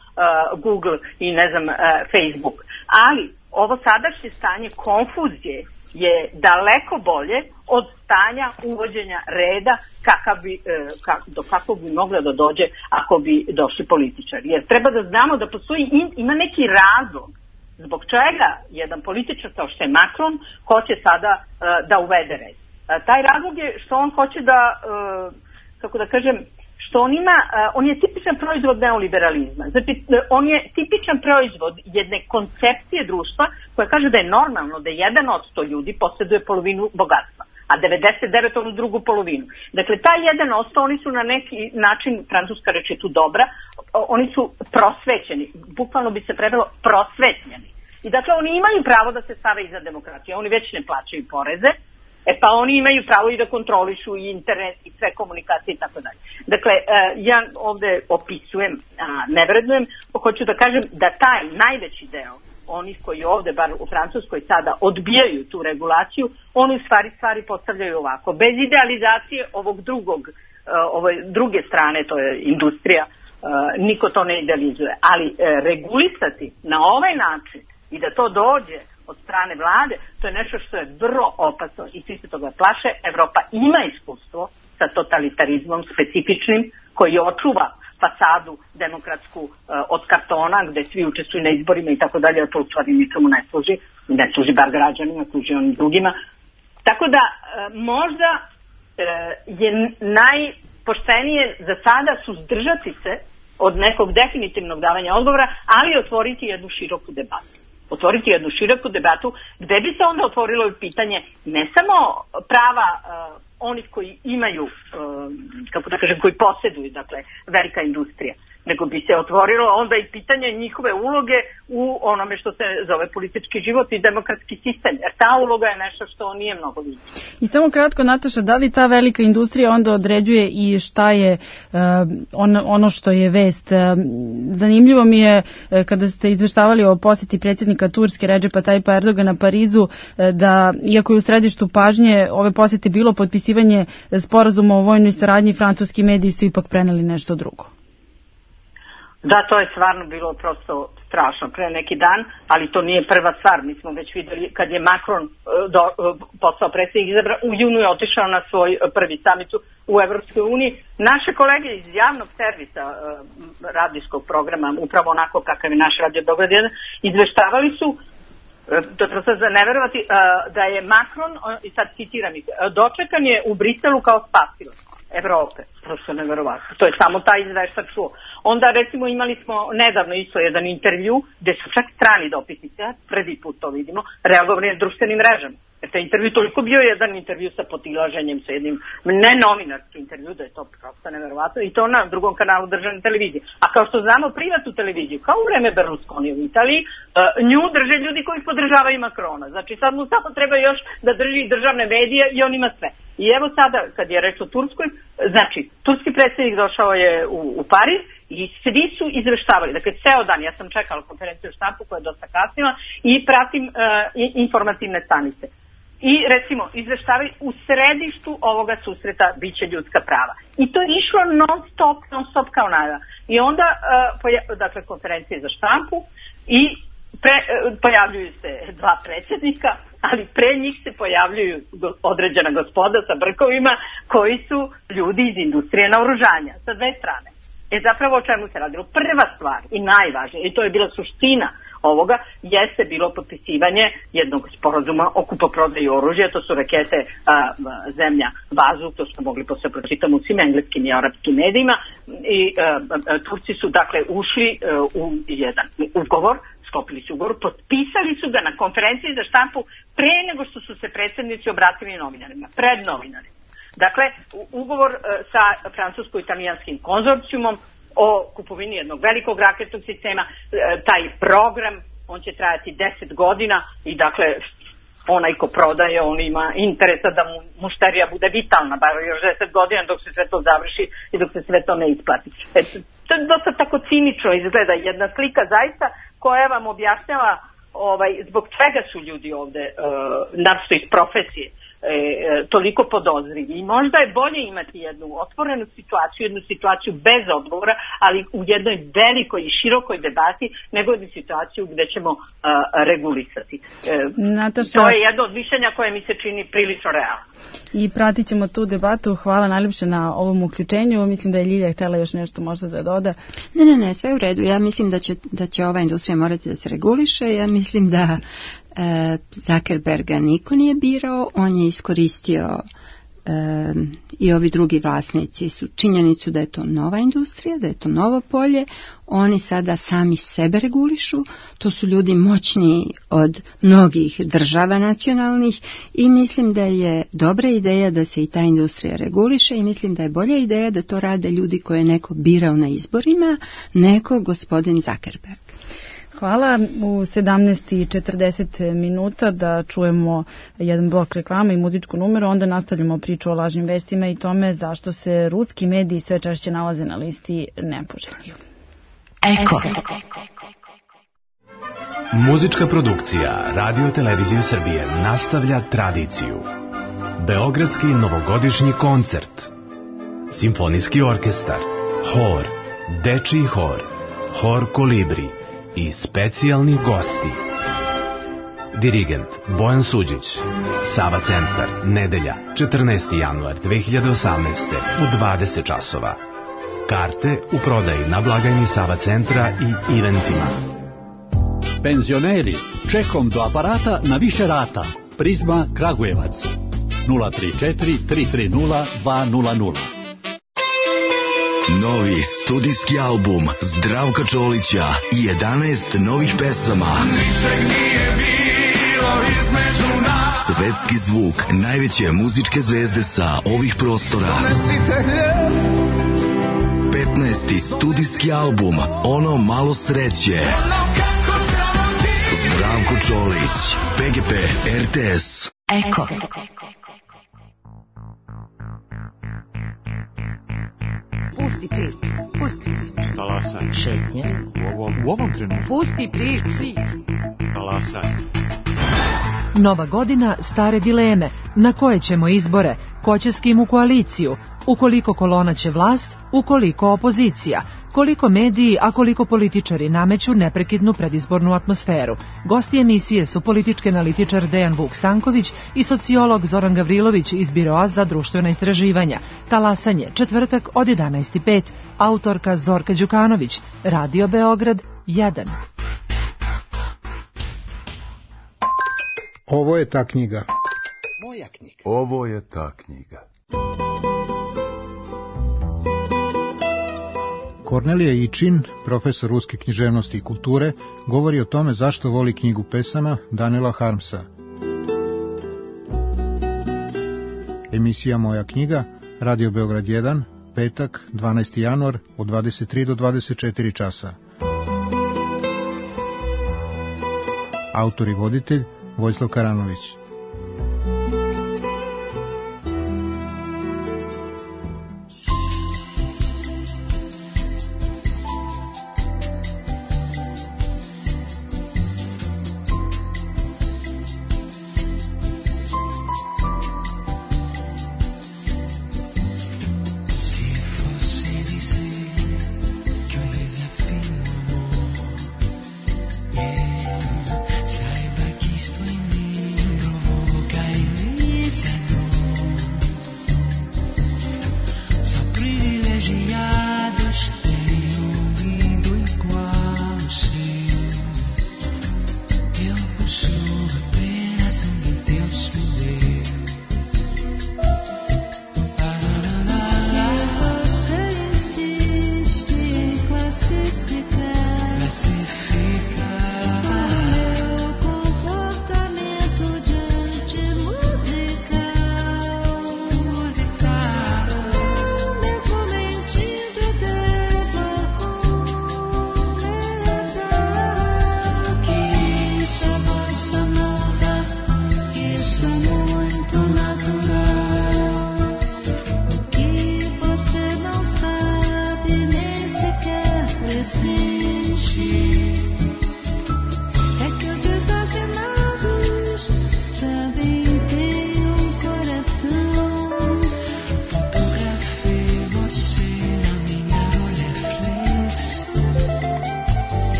E: Google i ne znam uh, Facebook. Ali ovo sadašnje stanje konfuzije je daleko bolje od stanja uvođenja reda kakav bi, kak, do kakvog bi mogla da dođe ako bi došli političari. Jer treba da znamo da postoji, ima neki razlog zbog čega jedan političar kao što je Macron hoće sada uh, da uvede red. Uh, taj razlog je što on hoće da, uh, kako da kažem, što on ima, uh, on je tipičan proizvod neoliberalizma. Znači, on je tipičan proizvod jedne koncepcije društva koja kaže da je normalno da jedan od sto ljudi posjeduje polovinu bogatstva, a devedeset devet onu drugu polovinu. Dakle, taj jedan osto, oni su na neki način, francuska reč je tu dobra, oni su prosvećeni, bukvalno bi se prevelo prosvetljeni. I dakle, oni imaju pravo da se stave iza demokratije, oni već ne plaćaju poreze, e pa oni imaju pravo i da kontrolišu i internet i sve komunikacije i tako dalje. Dakle, ja ovde opisujem, ne vrednujem, hoću da kažem da taj najveći deo onih koji ovde, bar u Francuskoj sada, odbijaju tu regulaciju, oni u stvari stvari postavljaju ovako. Bez idealizacije ovog drugog, ove druge strane, to je industrija, niko to ne idealizuje. Ali regulisati na ovaj način i da to dođe od strane vlade, to je nešto što je vrlo opasno i svi se toga plaše. Evropa ima iskustvo sa totalitarizmom specifičnim koji očuva fasadu demokratsku uh, od kartona gde svi učestvuju na izborima i tako dalje, a to u stvari ničemu ne služi, ne služi bar građanima, služi onim drugima. Tako da uh, možda uh, je najpoštenije za sada suzdržati se od nekog definitivnog davanja odgovora, ali otvoriti jednu široku debatu. Otvoriti jednu široku debatu gde bi se onda otvorilo pitanje ne samo prava uh, onih koji imaju, uh, kako da kažem, koji posjeduju, dakle, velika industrija, nego bi se otvorilo onda i pitanje njihove uloge u onome što se zove politički život i demokratski sistem, jer ta uloga je nešto što nije mnogo vidjeti.
C: I samo kratko, Nataša, da li ta velika industrija onda određuje i šta je uh, on, ono što je vest? Uh, zanimljivo mi je uh, kada ste izveštavali o posjeti predsjednika Turske Redžepa Tajpa Erdogana Parizu, uh, da iako je u središtu pažnje ove posjete bilo potpisivanje sporazuma o vojnoj saradnji, francuski mediji su ipak preneli nešto drugo.
E: Da, to je stvarno bilo prosto strašno pre neki dan, ali to nije prva stvar. Mi smo već videli kad je Macron do, postao predsjednik izabran, u junu je otišao na svoj prvi samit u Evropskoj uniji. Naše kolege iz javnog servisa radijskog programa, upravo onako kakav je naš Radio Beograd jedan, izveštavali su, to je sad za neverovati, da je Macron, i sad citiram ih, dočekan je u Briselu kao spasilac Evrope. Prosto neverovatno. To je samo taj izveštač čuo. Onda recimo imali smo nedavno isto jedan intervju gde su čak strani dopisnici, ja prvi put to vidimo, reagovali na društvenim mrežama. Jer taj intervju toliko bio jedan intervju sa potilaženjem, sa jednim nenovinarski intervju, da je to prosto neverovatno, i to na drugom kanalu državne televizije. A kao što znamo, privatnu televiziju, kao u vreme Berlusconi u Italiji, nju drže ljudi koji podržavaju Macrona. Znači sad mu samo treba još da drži državne medije i on ima sve. I evo sada, kad je reč o Turskoj, znači, turski predsjednik došao je u, u Pariz i svi su izveštavali. Dakle, ceo dan, ja sam čekala konferenciju u štampu koja je dosta kasnila i pratim uh, informativne stanice. I recimo, izveštavaju u središtu ovoga susreta biće ljudska prava. I to je išlo non stop, non stop kao najava. I onda, uh, poja- dakle, konferencije za štampu i pre, uh, pojavljuju se dva predsjednika, ali pre njih se pojavljuju određena gospoda sa brkovima koji su ljudi iz industrije naoružanja sa dve strane. E zapravo o čemu se radilo? Prva stvar i najvažnija, i to je bila suština ovoga, jeste bilo potpisivanje jednog sporazuma o kupoprodaji oružja, to su rakete a, zemlja bazu, to smo mogli posle pročitati u svim engleskim i arapskim medijima, i a, a, Turci su dakle ušli a, u jedan ugovor, sklopili su ugovor, potpisali su ga na konferenciji za štampu pre nego što su se predsjednici obratili novinarima, pred novinarima. Dakle, ugovor sa francusko-italijanskim konzorcijumom o kupovini jednog velikog raketnog sistema, taj program, on će trajati deset godina i dakle, onaj ko prodaje, on ima interesa da mu mušterija bude vitalna, bar još deset godina dok se sve to završi i dok se sve to ne isplati. Eto, to je dosta tako cinično izgleda jedna slika zaista koja vam objašnjava ovaj, zbog čega su ljudi ovde, uh, naravno iz profesije, E, toliko podozrivi. I možda je bolje imati jednu otvorenu situaciju, jednu situaciju bez odgovora, ali u jednoj velikoj i širokoj debati, nego jednu situaciju gde ćemo uh, regulisati. E, Nataša, to je jedno od mišljenja koje mi se čini prilično realno.
C: I pratit ćemo tu debatu. Hvala najljepše na ovom uključenju. Mislim da je Ljilja htjela još nešto možda da doda.
B: Ne, ne, ne, sve u redu. Ja mislim da će, da će ova industrija morati da se reguliše. Ja mislim da e, Zuckerberga niko nije birao. On je iskoristio e, i ovi drugi vlasnici su činjenicu da je to nova industrija, da je to novo polje. Oni sada sami sebe regulišu. To su ljudi moćniji od mnogih država nacionalnih i mislim da je dobra ideja da se i ta industrija reguliše i mislim da je bolja ideja da to rade ljudi koje je neko birao na izborima, neko gospodin Zuckerberg.
C: Hvala. U sedamnaest i četrdeset minuta da čujemo jedan blok reklama i muzičku numeru, onda nastavljamo priču o lažnim vestima i tome zašto se ruski mediji sve češće nalaze na listi nepoželjnih.
F: Eko. Muzička produkcija Radio Televizije Srbije nastavlja tradiciju. Beogradski novogodišnji koncert, simfonijski orkestar, hor, dečiji hor, hor Kolibri i specijalni gosti. Dirigent Bojan Suđić. Sava centar, nedelja, četrnaesti januar dve hiljade osamnaeste u dvadeset časova. Karte u prodaji na blagajni Sava centra i eventima.
G: Penzioneri, čekom do aparata na više rata. Prizma Kragujevac. nula tri četiri tri tri nula dva nula nula.
H: Novi studijski album Zdravka Čolića i jedanaest novih pesama. Svetski zvuk najveće muzičke zvezde sa ovih prostora. petnaesti studijski album Ono malo sreće. Zdravko Čolić, P G P, R T S.
F: Eko.
I: Pusti priču, pusti priču.
J: Talasaj.
A: Šetnja.
J: U ovom, u ovom trenutku.
I: Pusti priču.
J: Talasaj.
K: Nova godina, stare dileme. Na koje ćemo izbore? Ko će s kim u koaliciju? Ukoliko kolona će vlast, ukoliko opozicija? Koliko mediji, a koliko političari nameću neprekidnu predizbornu atmosferu? Gosti emisije su politički analitičar Dejan Vuk Stanković i sociolog Zoran Gavrilović iz Biroa za društvena istraživanja. Talasanje, četvrtak od jedanaest i pet. Autorka Zorka Đukanović. Radio Beograd jedan.
L: Ovo je ta knjiga.
M: Moja knjiga.
N: Ovo je ta knjiga.
L: Kornelija Ičin, profesor ruske književnosti i kulture, govori o tome zašto voli knjigu pesama Danila Harmsa. Emisija Moja knjiga, Radio Beograd jedan, petak, dvanaesti januar, od dvadeset tri do dvadeset četiri časa. Autor i voditelj Vojislav Karanović.
O: Saiba que estou em mim.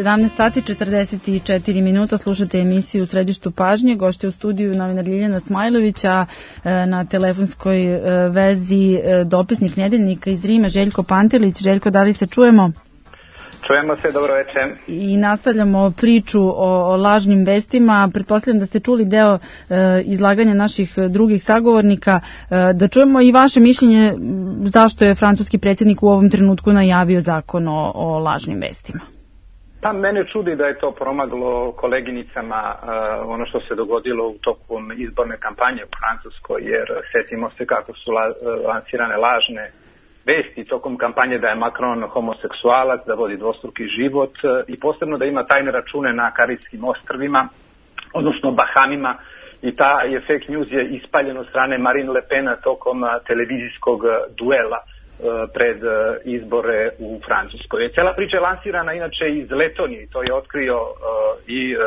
C: sedamnaest sati četrdeset četiri minuta, slušate emisiju U središtu pažnje. Gošće u studiju novinar Ljiljana Smajlovića, na telefonskoj vezi dopisnik Nedeljnika iz Rima Željko Pantelić. Željko, da li se čujemo?
M: Čujemo se, dobro večer.
C: I nastavljamo priču o, o lažnim vestima. Pretpostavljam da ste čuli deo e, izlaganja naših drugih sagovornika. E, da čujemo i vaše mišljenje zašto je francuski predsjednik u ovom trenutku najavio zakon o, o lažnim vestima.
M: Pa mene čudi da je to promaglo koleginicama uh, ono što se dogodilo u tokom izborne kampanje u Francuskoj, jer setimo se kako su la, lansirane lažne vesti tokom kampanje da je Macron homoseksualac, da vodi dvostruki život uh, i posebno da ima tajne račune na Karibskim ostrvima, odnosno Bahamima, i ta je fake news je ispaljen od strane Marine Le Pena tokom uh, televizijskog uh, duela pred izbore u Francuskoj. Cijela priča je lansirana inače iz Letonije, to je otkrio uh, i uh,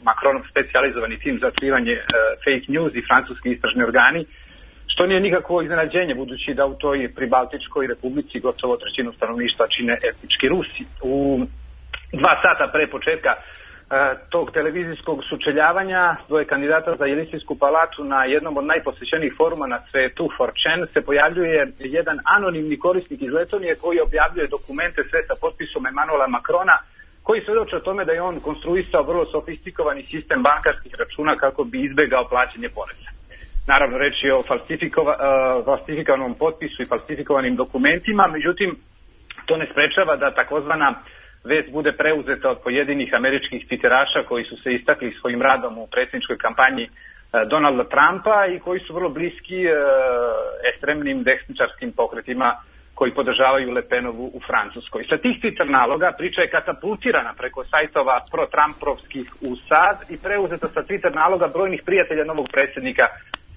M: Macronov specijalizovani tim za otkrivanje uh, fake news i francuski istražni organi, što nije nikakvo iznenađenje, budući da u toj pribaltičkoj republici gotovo trećinu stanovništva čine etnički Rusi. U dva sata pre početka tog televizijskog sučeljavanja dvoje kandidata za Jelisejsku palatu na jednom od najposvećenijih foruma na svetu, four chan, se pojavljuje jedan anonimni korisnik iz Letonije koji objavljuje dokumente sve sa potpisom Emmanuela Macrona, koji svedoče o tome da je on konstruisao vrlo sofistikovani sistem bankarskih računa kako bi izbegao plaćanje poreza. Naravno, reč je o falsifikova, uh, falsifikovanom potpisu i falsifikovanim dokumentima, međutim, to ne sprečava da takozvana vest bude preuzeta od pojedinih američkih tviteraša koji su se istakli svojim radom u predsjedničkoj kampanji Donalda Trumpa i koji su vrlo bliski e, ekstremnim desničarskim pokretima koji podržavaju Le Penovu u Francuskoj. Sa tih Twitter naloga priča je katapultirana preko sajtova pro-Trumpovskih u sad i preuzeta sa Twitter naloga brojnih prijatelja novog predsjednika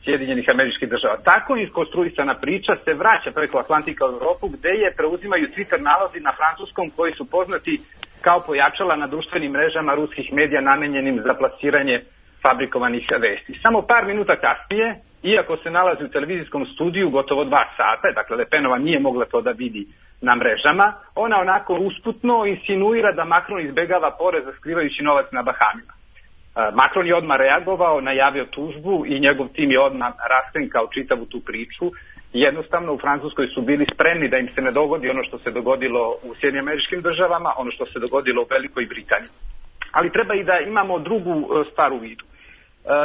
M: Sjedinjenih Američkih Država. Tako iskonstruisana priča se vraća preko Atlantika u Europu, gde je preuzimaju Twitter nalozi na francuskom koji su poznati kao pojačala na društvenim mrežama ruskih medija namenjenim za plasiranje fabrikovanih vesti. Samo par minuta kasnije, iako se nalazi u televizijskom studiju gotovo dva sata, dakle Le Penova nije mogla to da vidi na mrežama, ona onako usputno insinuira da Macron izbegava porez skrivajući novac na Bahamima. Macron je odmah reagovao, najavio tužbu i njegov tim je odmah raskrinkao čitavu tu priču. Jednostavno u Francuskoj su bili spremni da im se ne dogodi ono što se dogodilo u Sjedinjenim Američkim Državama, ono što se dogodilo u Velikoj Britaniji. Ali treba i da imamo drugu stvar u vidu.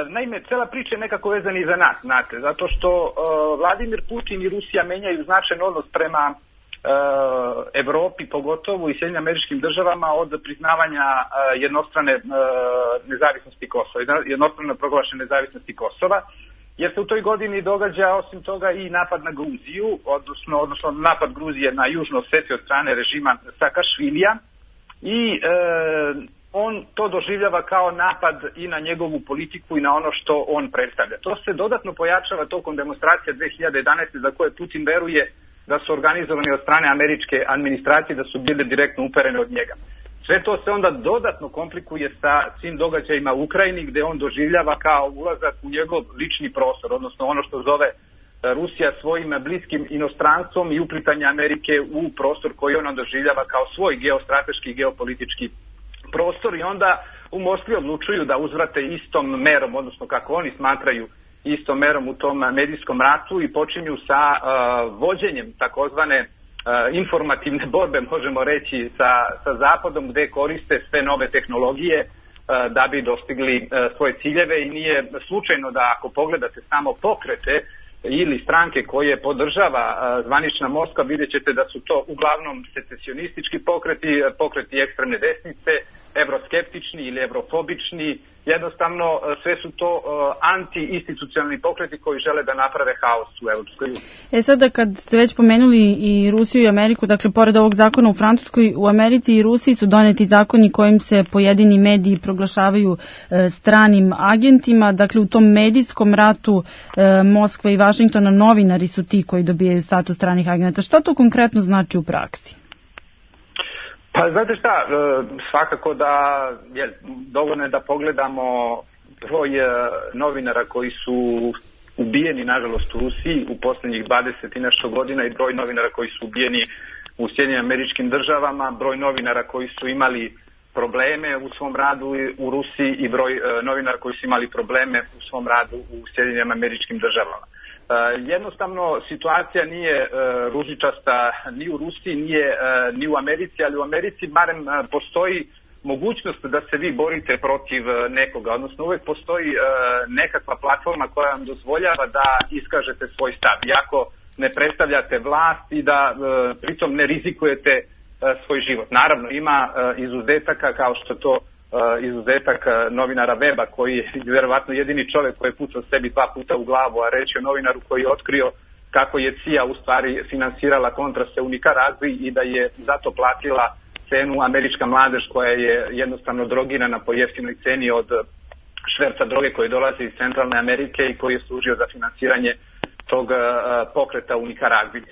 M: Naime, cela priča je nekako vezana i za nas, znate, zato što Vladimir Putin i Rusija menjaju značajan odnos prema Evropi, pogotovo i Sjedinjenim Američkim Državama od priznavanja jednostrane nezavisnosti Kosova, jednostrano proglašene nezavisnosti Kosova, jer se u toj godini događa osim toga i napad na Gruziju, odnosno, odnosno napad Gruzije na Južnu Osetiju od strane režima Sakašvilija i e, on to doživljava kao napad i na njegovu politiku i na ono što on predstavlja. To se dodatno pojačava tokom demonstracija dve hiljade jedanaeste za koje Putin veruje da su organizovani od strane američke administracije, da su bile direktno uperene od njega. Sve to se onda dodatno komplikuje sa svim događajima u Ukrajini, gde on doživljava kao ulazak u njegov lični prostor, odnosno ono što zove Rusija svojim bliskim inostranstvom i uplitanje Amerike u prostor koji ona doživljava kao svoj geostrateški i geopolitički prostor, i onda u Moskvi odlučuju da uzvrate istom merom, odnosno kako oni smatraju istom merom u tom medijskom ratu i počinju sa uh, vođenjem takozvane uh, informativne borbe, možemo reći, sa, sa Zapadom, gde koriste sve nove tehnologije uh, da bi dostigli uh, svoje ciljeve, i nije slučajno da ako pogledate samo pokrete ili stranke koje podržava uh, zvanična Moskva, vidjet ćete da su to uglavnom secesionistički pokreti, pokreti ekstremne desnice, evroskeptični ili evrofobični, jednostavno sve su to anti-institucionalni pokreti koji žele da naprave haos u Evropskoj uniji.
C: E sada kad ste već pomenuli i Rusiju i Ameriku, dakle pored ovog zakona u Francuskoj, u Americi i Rusiji su doneti zakoni kojim se pojedini mediji proglašavaju e, stranim agentima, dakle u tom medijskom ratu e, Moskva i Vašingtona novinari su ti koji dobijaju status stranih agenta. Šta to konkretno znači u praksi?
M: Pa znate šta, svakako da je dovoljno je da pogledamo broj novinara koji su ubijeni, nažalost, u Rusiji u posljednjih dvadeset i nešto godina i broj novinara koji su ubijeni u Sjedinjenim Američkim Državama, broj novinara koji su imali probleme u svom radu u Rusiji i broj novinara koji su imali probleme u svom radu u Sjedinjenim Američkim Državama. Uh, jednostavno situacija nije uh, ružičasta ni u Rusiji, nije uh, ni u Americi, ali u Americi barem uh, postoji mogućnost da se vi borite protiv uh, nekoga, odnosno uvek postoji uh, nekakva platforma koja vam dozvoljava da iskažete svoj stav, iako ne predstavljate vlast i da uh, pritom ne rizikujete uh, svoj život. Naravno ima uh, izuzetaka kao što to Uh, izuzetak uh, novinara Weba koji je vjerovatno jedini čovjek koji je pucao sebi dva puta u glavu, a reći o novinaru koji je otkrio kako je C I A u stvari finansirala kontrase u Nikaragvi i da je zato platila cenu američka mladež koja je jednostavno drogirana po jeftinoj ceni od šverca droge koji dolazi iz Centralne Amerike i koji je služio za finansiranje tog uh, pokreta u Nikaragvi. Uh,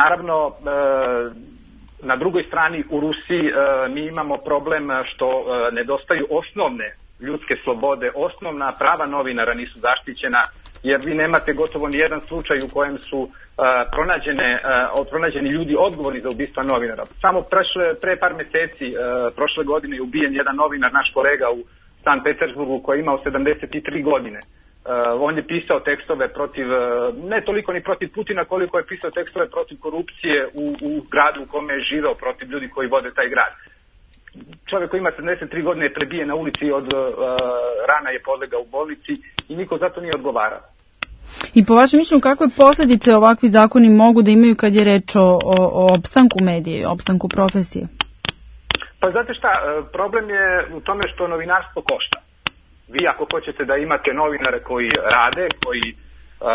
M: naravno uh, Na drugoj strani u Rusiji e, mi imamo problem što e, nedostaju osnovne ljudske slobode, osnovna prava novinara nisu zaštićena, jer vi nemate gotovo ni jedan slučaj u kojem su e, pronađene, e, pronađeni ljudi odgovorni za ubistva novinara. Samo prešle, pre par meseci, e, prošle godine je ubijen jedan novinar, naš kolega u San Petersburgu koji je imao sedamdeset tri godine. Uh, on je pisao tekstove protiv, uh, ne toliko ni protiv Putina koliko je pisao tekstove protiv korupcije u, u gradu u kome je živeo, protiv ljudi koji vode taj grad. Čovjek koji ima sedamdeset tri godine je prebijen na ulici, od uh, rana je podlegao u bolnici i niko zato nije odgovarao.
C: I po vašem mišljenju kakve posljedice ovakvi zakoni mogu da imaju kad je reč o, o, o opstanku medije, opstanku profesije?
M: Pa znate šta, problem je u tome što novinarstvo košta. Vi ako hoćete da imate novinare koji rade, koji uh,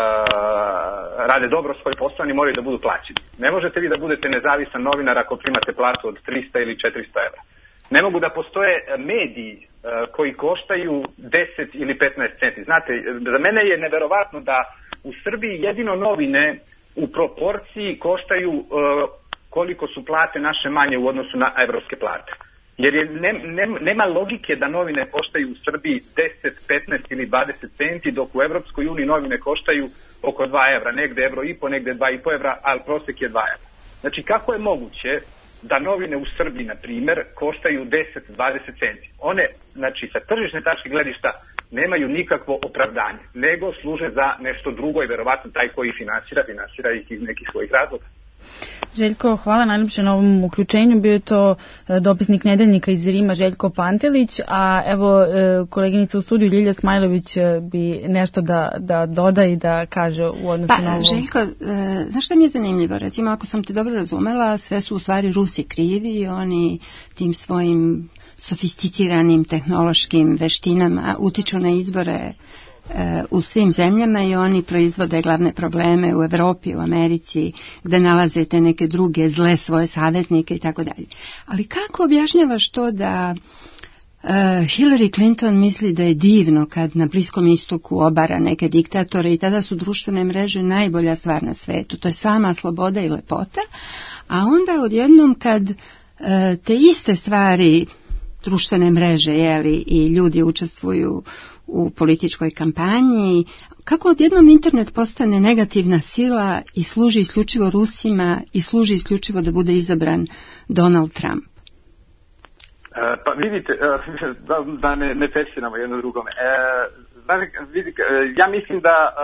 M: rade dobro svoj posao, oni moraju da budu plaćeni. Ne možete vi da budete nezavisan novinar ako primate platu od trista ili četiristo evra. Ne mogu da postoje mediji uh, koji koštaju deset ili petnaest centi. Znate, za mene je neverovatno da u Srbiji jedino novine u proporciji koštaju uh, koliko su plate naše manje u odnosu na evropske plate. Jer je, ne, ne, nema logike da novine koštaju u Srbiji deset, petnaest ili dvadeset centi, dok u Evropskoj uniji novine koštaju oko dva evra, negde evro i po, negde dva i po evra, ali prosek je dva evra. Znači, kako je moguće da novine u Srbiji, na primjer, koštaju deset do dvadeset centi? One, znači, sa tržišne tačke gledišta nemaju nikakvo opravdanje, nego služe za nešto drugo i verovatno taj koji finansira, finansira ih iz nekih svojih razloga.
C: Željko, hvala najljepše na ovom uključenju. Bio je to dopisnik Nedeljnika iz Rima Željko Pantelić, a evo koleginica u studiju Ljilja Smajlović bi nešto da, da doda i da kaže u odnosu
B: pa,
C: na ovo.
B: Željko, e, znaš šta mi je zanimljivo? Recimo, ako sam te dobro razumela, sve su u stvari Rusi krivi i oni tim svojim sofisticiranim tehnološkim veštinama utiču na izbore u svim zemljama i oni proizvode glavne probleme u Evropi, u Americi, gde nalaze te neke druge zle svoje savjetnike i tako dalje. Ali kako objašnjavaš to da uh, Hillary Clinton misli da je divno kad na Bliskom istoku obara neke diktatore i tada su društvene mreže najbolja stvar na svetu. To je sama sloboda i lepota. A onda odjednom kad uh, te iste stvari društvene mreže, jeli, i ljudi učestvuju u političkoj kampanji, kako odjednom internet postane negativna sila i služi isključivo Rusima i služi isključivo da bude izabran Donald Trump?
M: E, pa vidite, da, da ne, ne pesiramo jedno drugome. E, vidite, ja mislim da e,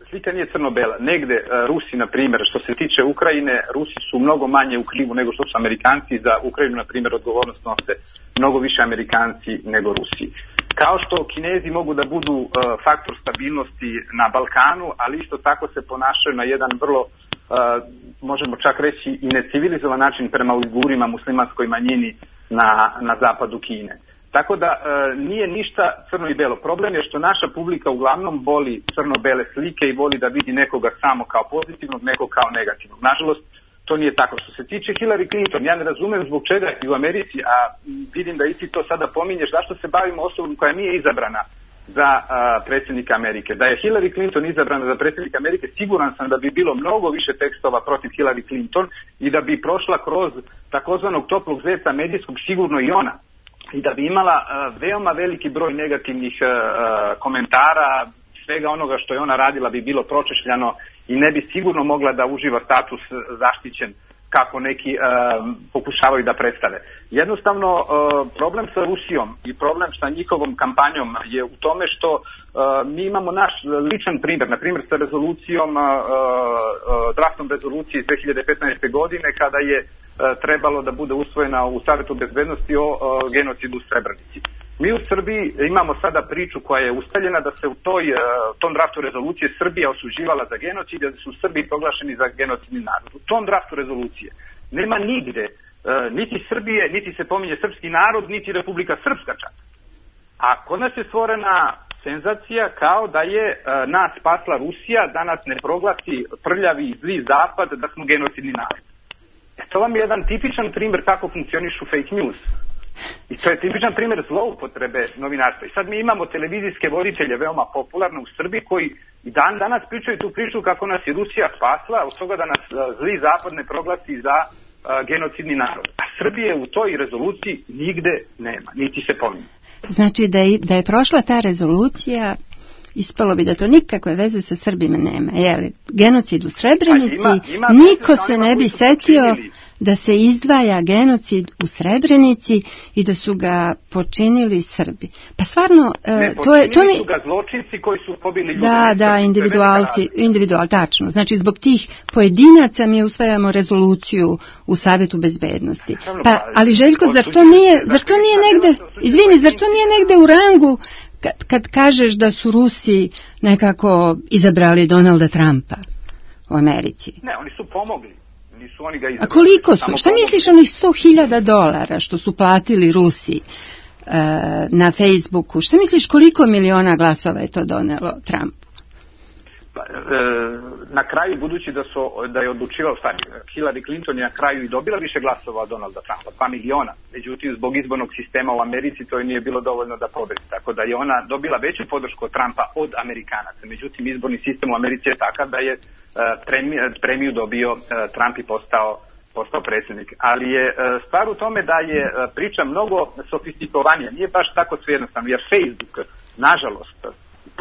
M: slika nije crno-bela. Negde e, Rusi, na primjer, što se tiče Ukrajine, Rusi su mnogo manje u krivu nego što su Amerikanci. Za Ukrajinu, na primjer, odgovornost nose mnogo više Amerikanci nego Rusi. Kao što Kinezi mogu da budu uh, faktor stabilnosti na Balkanu, ali isto tako se ponašaju na jedan vrlo, uh, možemo čak reći, i necivilizovan način prema Ujgurima, muslimanskoj manjini na, na zapadu Kine. Tako da e, nije ništa crno i belo. Problem je što naša publika uglavnom voli crno-bele slike i voli da vidi nekoga samo kao pozitivnog, nekog kao negativnog. Nažalost, to nije tako. Što se tiče Hillary Clinton, ja ne razumem zbog čega i u Americi, a vidim da i ti to sada pominješ, zašto se bavimo osobom koja nije izabrana za a, predsjednika Amerike. Da je Hillary Clinton izabrana za predsjednika Amerike, siguran sam da bi bilo mnogo više tekstova protiv Hillary Clinton i da bi prošla kroz takozvanog toplog zeca medijskog sigurno i ona. I da bi imala uh, veoma veliki broj negativnih uh, komentara, svega onoga što je ona radila bi bilo pročešljano i ne bi sigurno mogla da uživa status zaštićen kako neki uh, pokušavaju da predstave. Jednostavno, uh, problem sa Rusijom i problem sa njihovom kampanjom je u tome što uh, mi imamo naš ličan primjer, na primjer sa rezolucijom, uh, uh, draftom rezolucije iz dve hiljade petnaeste. godine kada je trebalo da bude usvojena u Savetu bezbednosti o, o genocidu u Srebrenici. Mi u Srbiji imamo sada priču koja je ustaljena da se u toj, tom draftu rezolucije Srbija osuđivala za genocid i da su Srbi proglašeni za genocidni narod. U tom draftu rezolucije nema nigde niti Srbije, niti se pominje srpski narod, niti Republika Srpska čak. A kod nas je stvorena senzacija kao da je nas spasla Rusija, da nas ne proglasi prljavi i zli zapad, da smo genocidni narod. To vam je jedan tipičan primjer kako funkcionišu fake news. I to je tipičan primjer zloupotrebe novinarstva. I sad mi imamo televizijske voditelje veoma popularne u Srbiji koji i dan danas pričaju tu priču kako nas je Rusija spasla od toga da nas zli zapad ne proglasi za uh, genocidni narod. A Srbije u toj rezoluciji nigde nema, niti se pominje.
B: Znači da je, da je prošla ta rezolucija, ispalo bi da to nikakve veze sa Srbima nema. Jeli, genocid u Srebrenici, ima, ima niko se ne bi setio počinili da se izdvaja genocid u Srebrenici i da su ga počinili Srbi. Pa stvarno,
M: ne,
B: to je... To mi...
M: su ga zločinci koji su pobili ljude.
B: Da, da, individualci, individual, tačno. Znači, zbog tih pojedinaca mi usvajamo rezoluciju u Savetu bezbednosti. Pa, ali Željko, zar to nije, zar to nije negde, izvini, zar to nije negde u rangu kad, kad kažeš da su Rusi nekako izabrali Donalda Trumpa u Americi?
M: Ne, oni su pomogli. Nisu oni ga izabrali.
B: A koliko su? Šta misliš onih sto hiljada dolara što su platili Rusi uh, na Facebooku? Šta misliš koliko miliona glasova je to donelo Trumpu?
M: Pa, e, na kraju, budući da, su, da je odlučivao, stvari, Hillary Clinton je na kraju i dobila više glasova od Donalda Trumpa, dva miliona. Međutim, zbog izbornog sistema u Americi to je nije bilo dovoljno da pobedi. Tako da je ona dobila veću podršku od Trumpa od Amerikanaca. Međutim, izborni sistem u Americi je takav da je Premiju, premiju dobio Trump i postao, postao predsjednik. Ali je stvar u tome da je priča mnogo sofistikovanija. Nije baš tako sve jednostavno, jer Facebook, nažalost,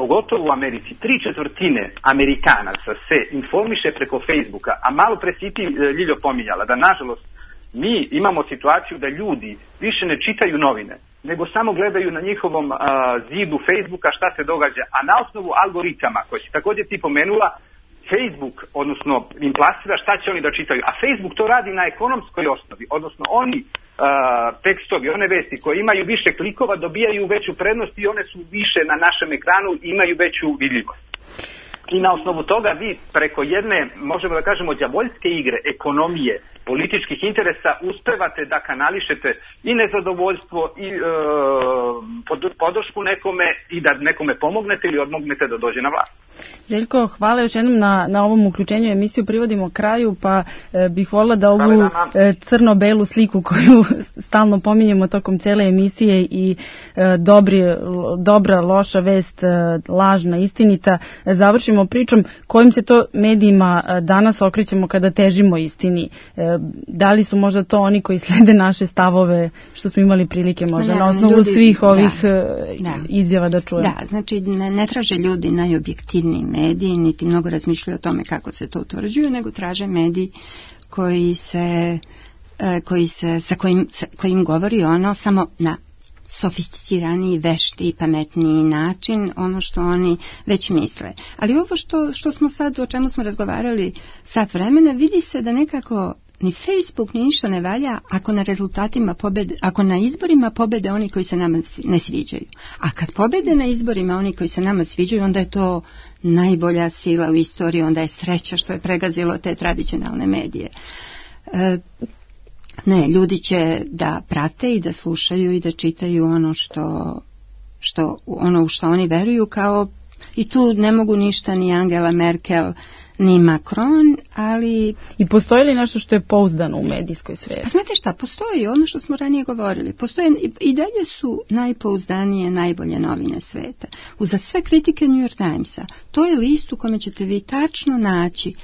M: pogotovo u Americi, tri četvrtine Amerikanaca se informiše preko Facebooka, a malo pre si ti, Ljiljo, pominjala da nažalost mi imamo situaciju da ljudi više ne čitaju novine, nego samo gledaju na njihovom uh, zidu Facebooka šta se događa, a na osnovu algoritama koje si također ti pomenula, Facebook, odnosno im plasira šta će oni da čitaju, a Facebook to radi na ekonomskoj osnovi, odnosno oni uh, tekstovi, one vesti koje imaju više klikova dobijaju veću prednost i one su više na našem ekranu i imaju veću vidljivost. I na osnovu toga vi preko jedne, možemo da kažemo, đavoljske igre, ekonomije, političkih interesa uspevate da kanališete i nezadovoljstvo i e, podršku nekome i da nekome pomognete ili odmognete da dođe na vlast.
C: Željko, hvala još jednom na, na ovom uključenju. Emisiju privodimo kraju, pa e, bih volila da ovu e, crno-belu sliku koju stalno pominjemo tokom cele emisije i e, dobri, dobra, loša vest, e, lažna, istinita, e, završimo pričom kojim se to medijima e, danas okrećemo kada težimo istini. E, da li su možda to oni koji slede naše stavove, što smo imali prilike možda ne, na osnovu ljudi, svih ovih da, da, izjava da čujemo?
B: Da, znači ne, ne traže ljudi najobjektivniji mediji, niti mnogo razmišljaju o tome kako se to utvrđuje, nego traže mediji koji se, koji se, sa kojim, sa kojim govori ono samo na sofisticiraniji, vešti i pametniji način, ono što oni već misle. Ali ovo što, što smo sad, o čemu smo razgovarali sat vremena, vidi se da nekako ni Facebook ni ništa ne valja ako na rezultatima pobede, ako na izborima pobede oni koji se nama ne sviđaju. A kad pobede na izborima oni koji se nama sviđaju, onda je to najbolja sila u istoriji, onda je sreća što je pregazilo te tradicionalne medije. E, Ne, ljudi će da prate i da slušaju i da čitaju ono što, što ono u što oni veruju, kao i tu ne mogu ništa ni Angela Merkel ni Macron, ali...
C: I postoji li nešto što je pouzdano u medijskoj sferi?
B: Pa znate šta, postoji ono što smo ranije govorili. Postoje, i dalje su najpouzdanije, najbolje novine sveta. Uza sve kritike New York Timesa, to je list u kome ćete vi tačno naći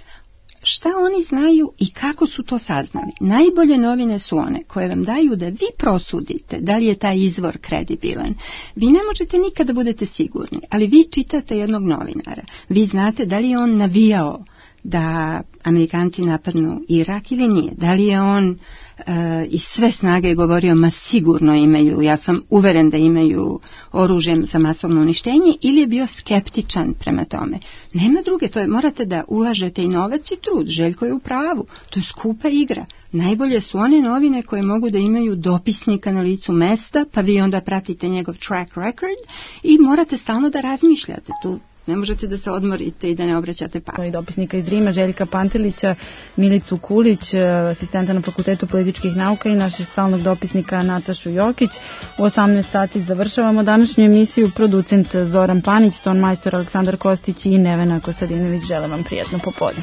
B: šta oni znaju i kako su to saznali. Najbolje novine su one koje vam daju da vi prosudite da li je taj izvor kredibilan. Vi ne možete nikada budete sigurni, ali vi čitate jednog novinara. Vi znate da li je on navijao da Amerikanci napadnu Irak ili nije. Da li je on uh, iz sve snage govorio ma sigurno imaju, ja sam uveren da imaju oružje za masovno uništenje, ili je bio skeptičan prema tome. Nema druge, to je, morate da ulažete i novac i trud. Željko je u pravu, to je skupa igra. Najbolje su one novine koje mogu da imaju dopisnika na licu mesta, pa vi onda pratite njegov track record i morate stalno da razmišljate. Tu ne možete da se odmorite i da ne obraćate pažnju.
C: I dopisnika iz Rima, Željka Pantelića, Milicu Kulić, asistenta na Fakultetu političkih nauka i našeg stalnog dopisnika Natašu Jokić. U osamnaest sati završavamo današnju emisiju. Producent Zoran Panić, ton majstor Aleksandar Kostić i Nevena Kostadinović. Želim vam prijatno popodne.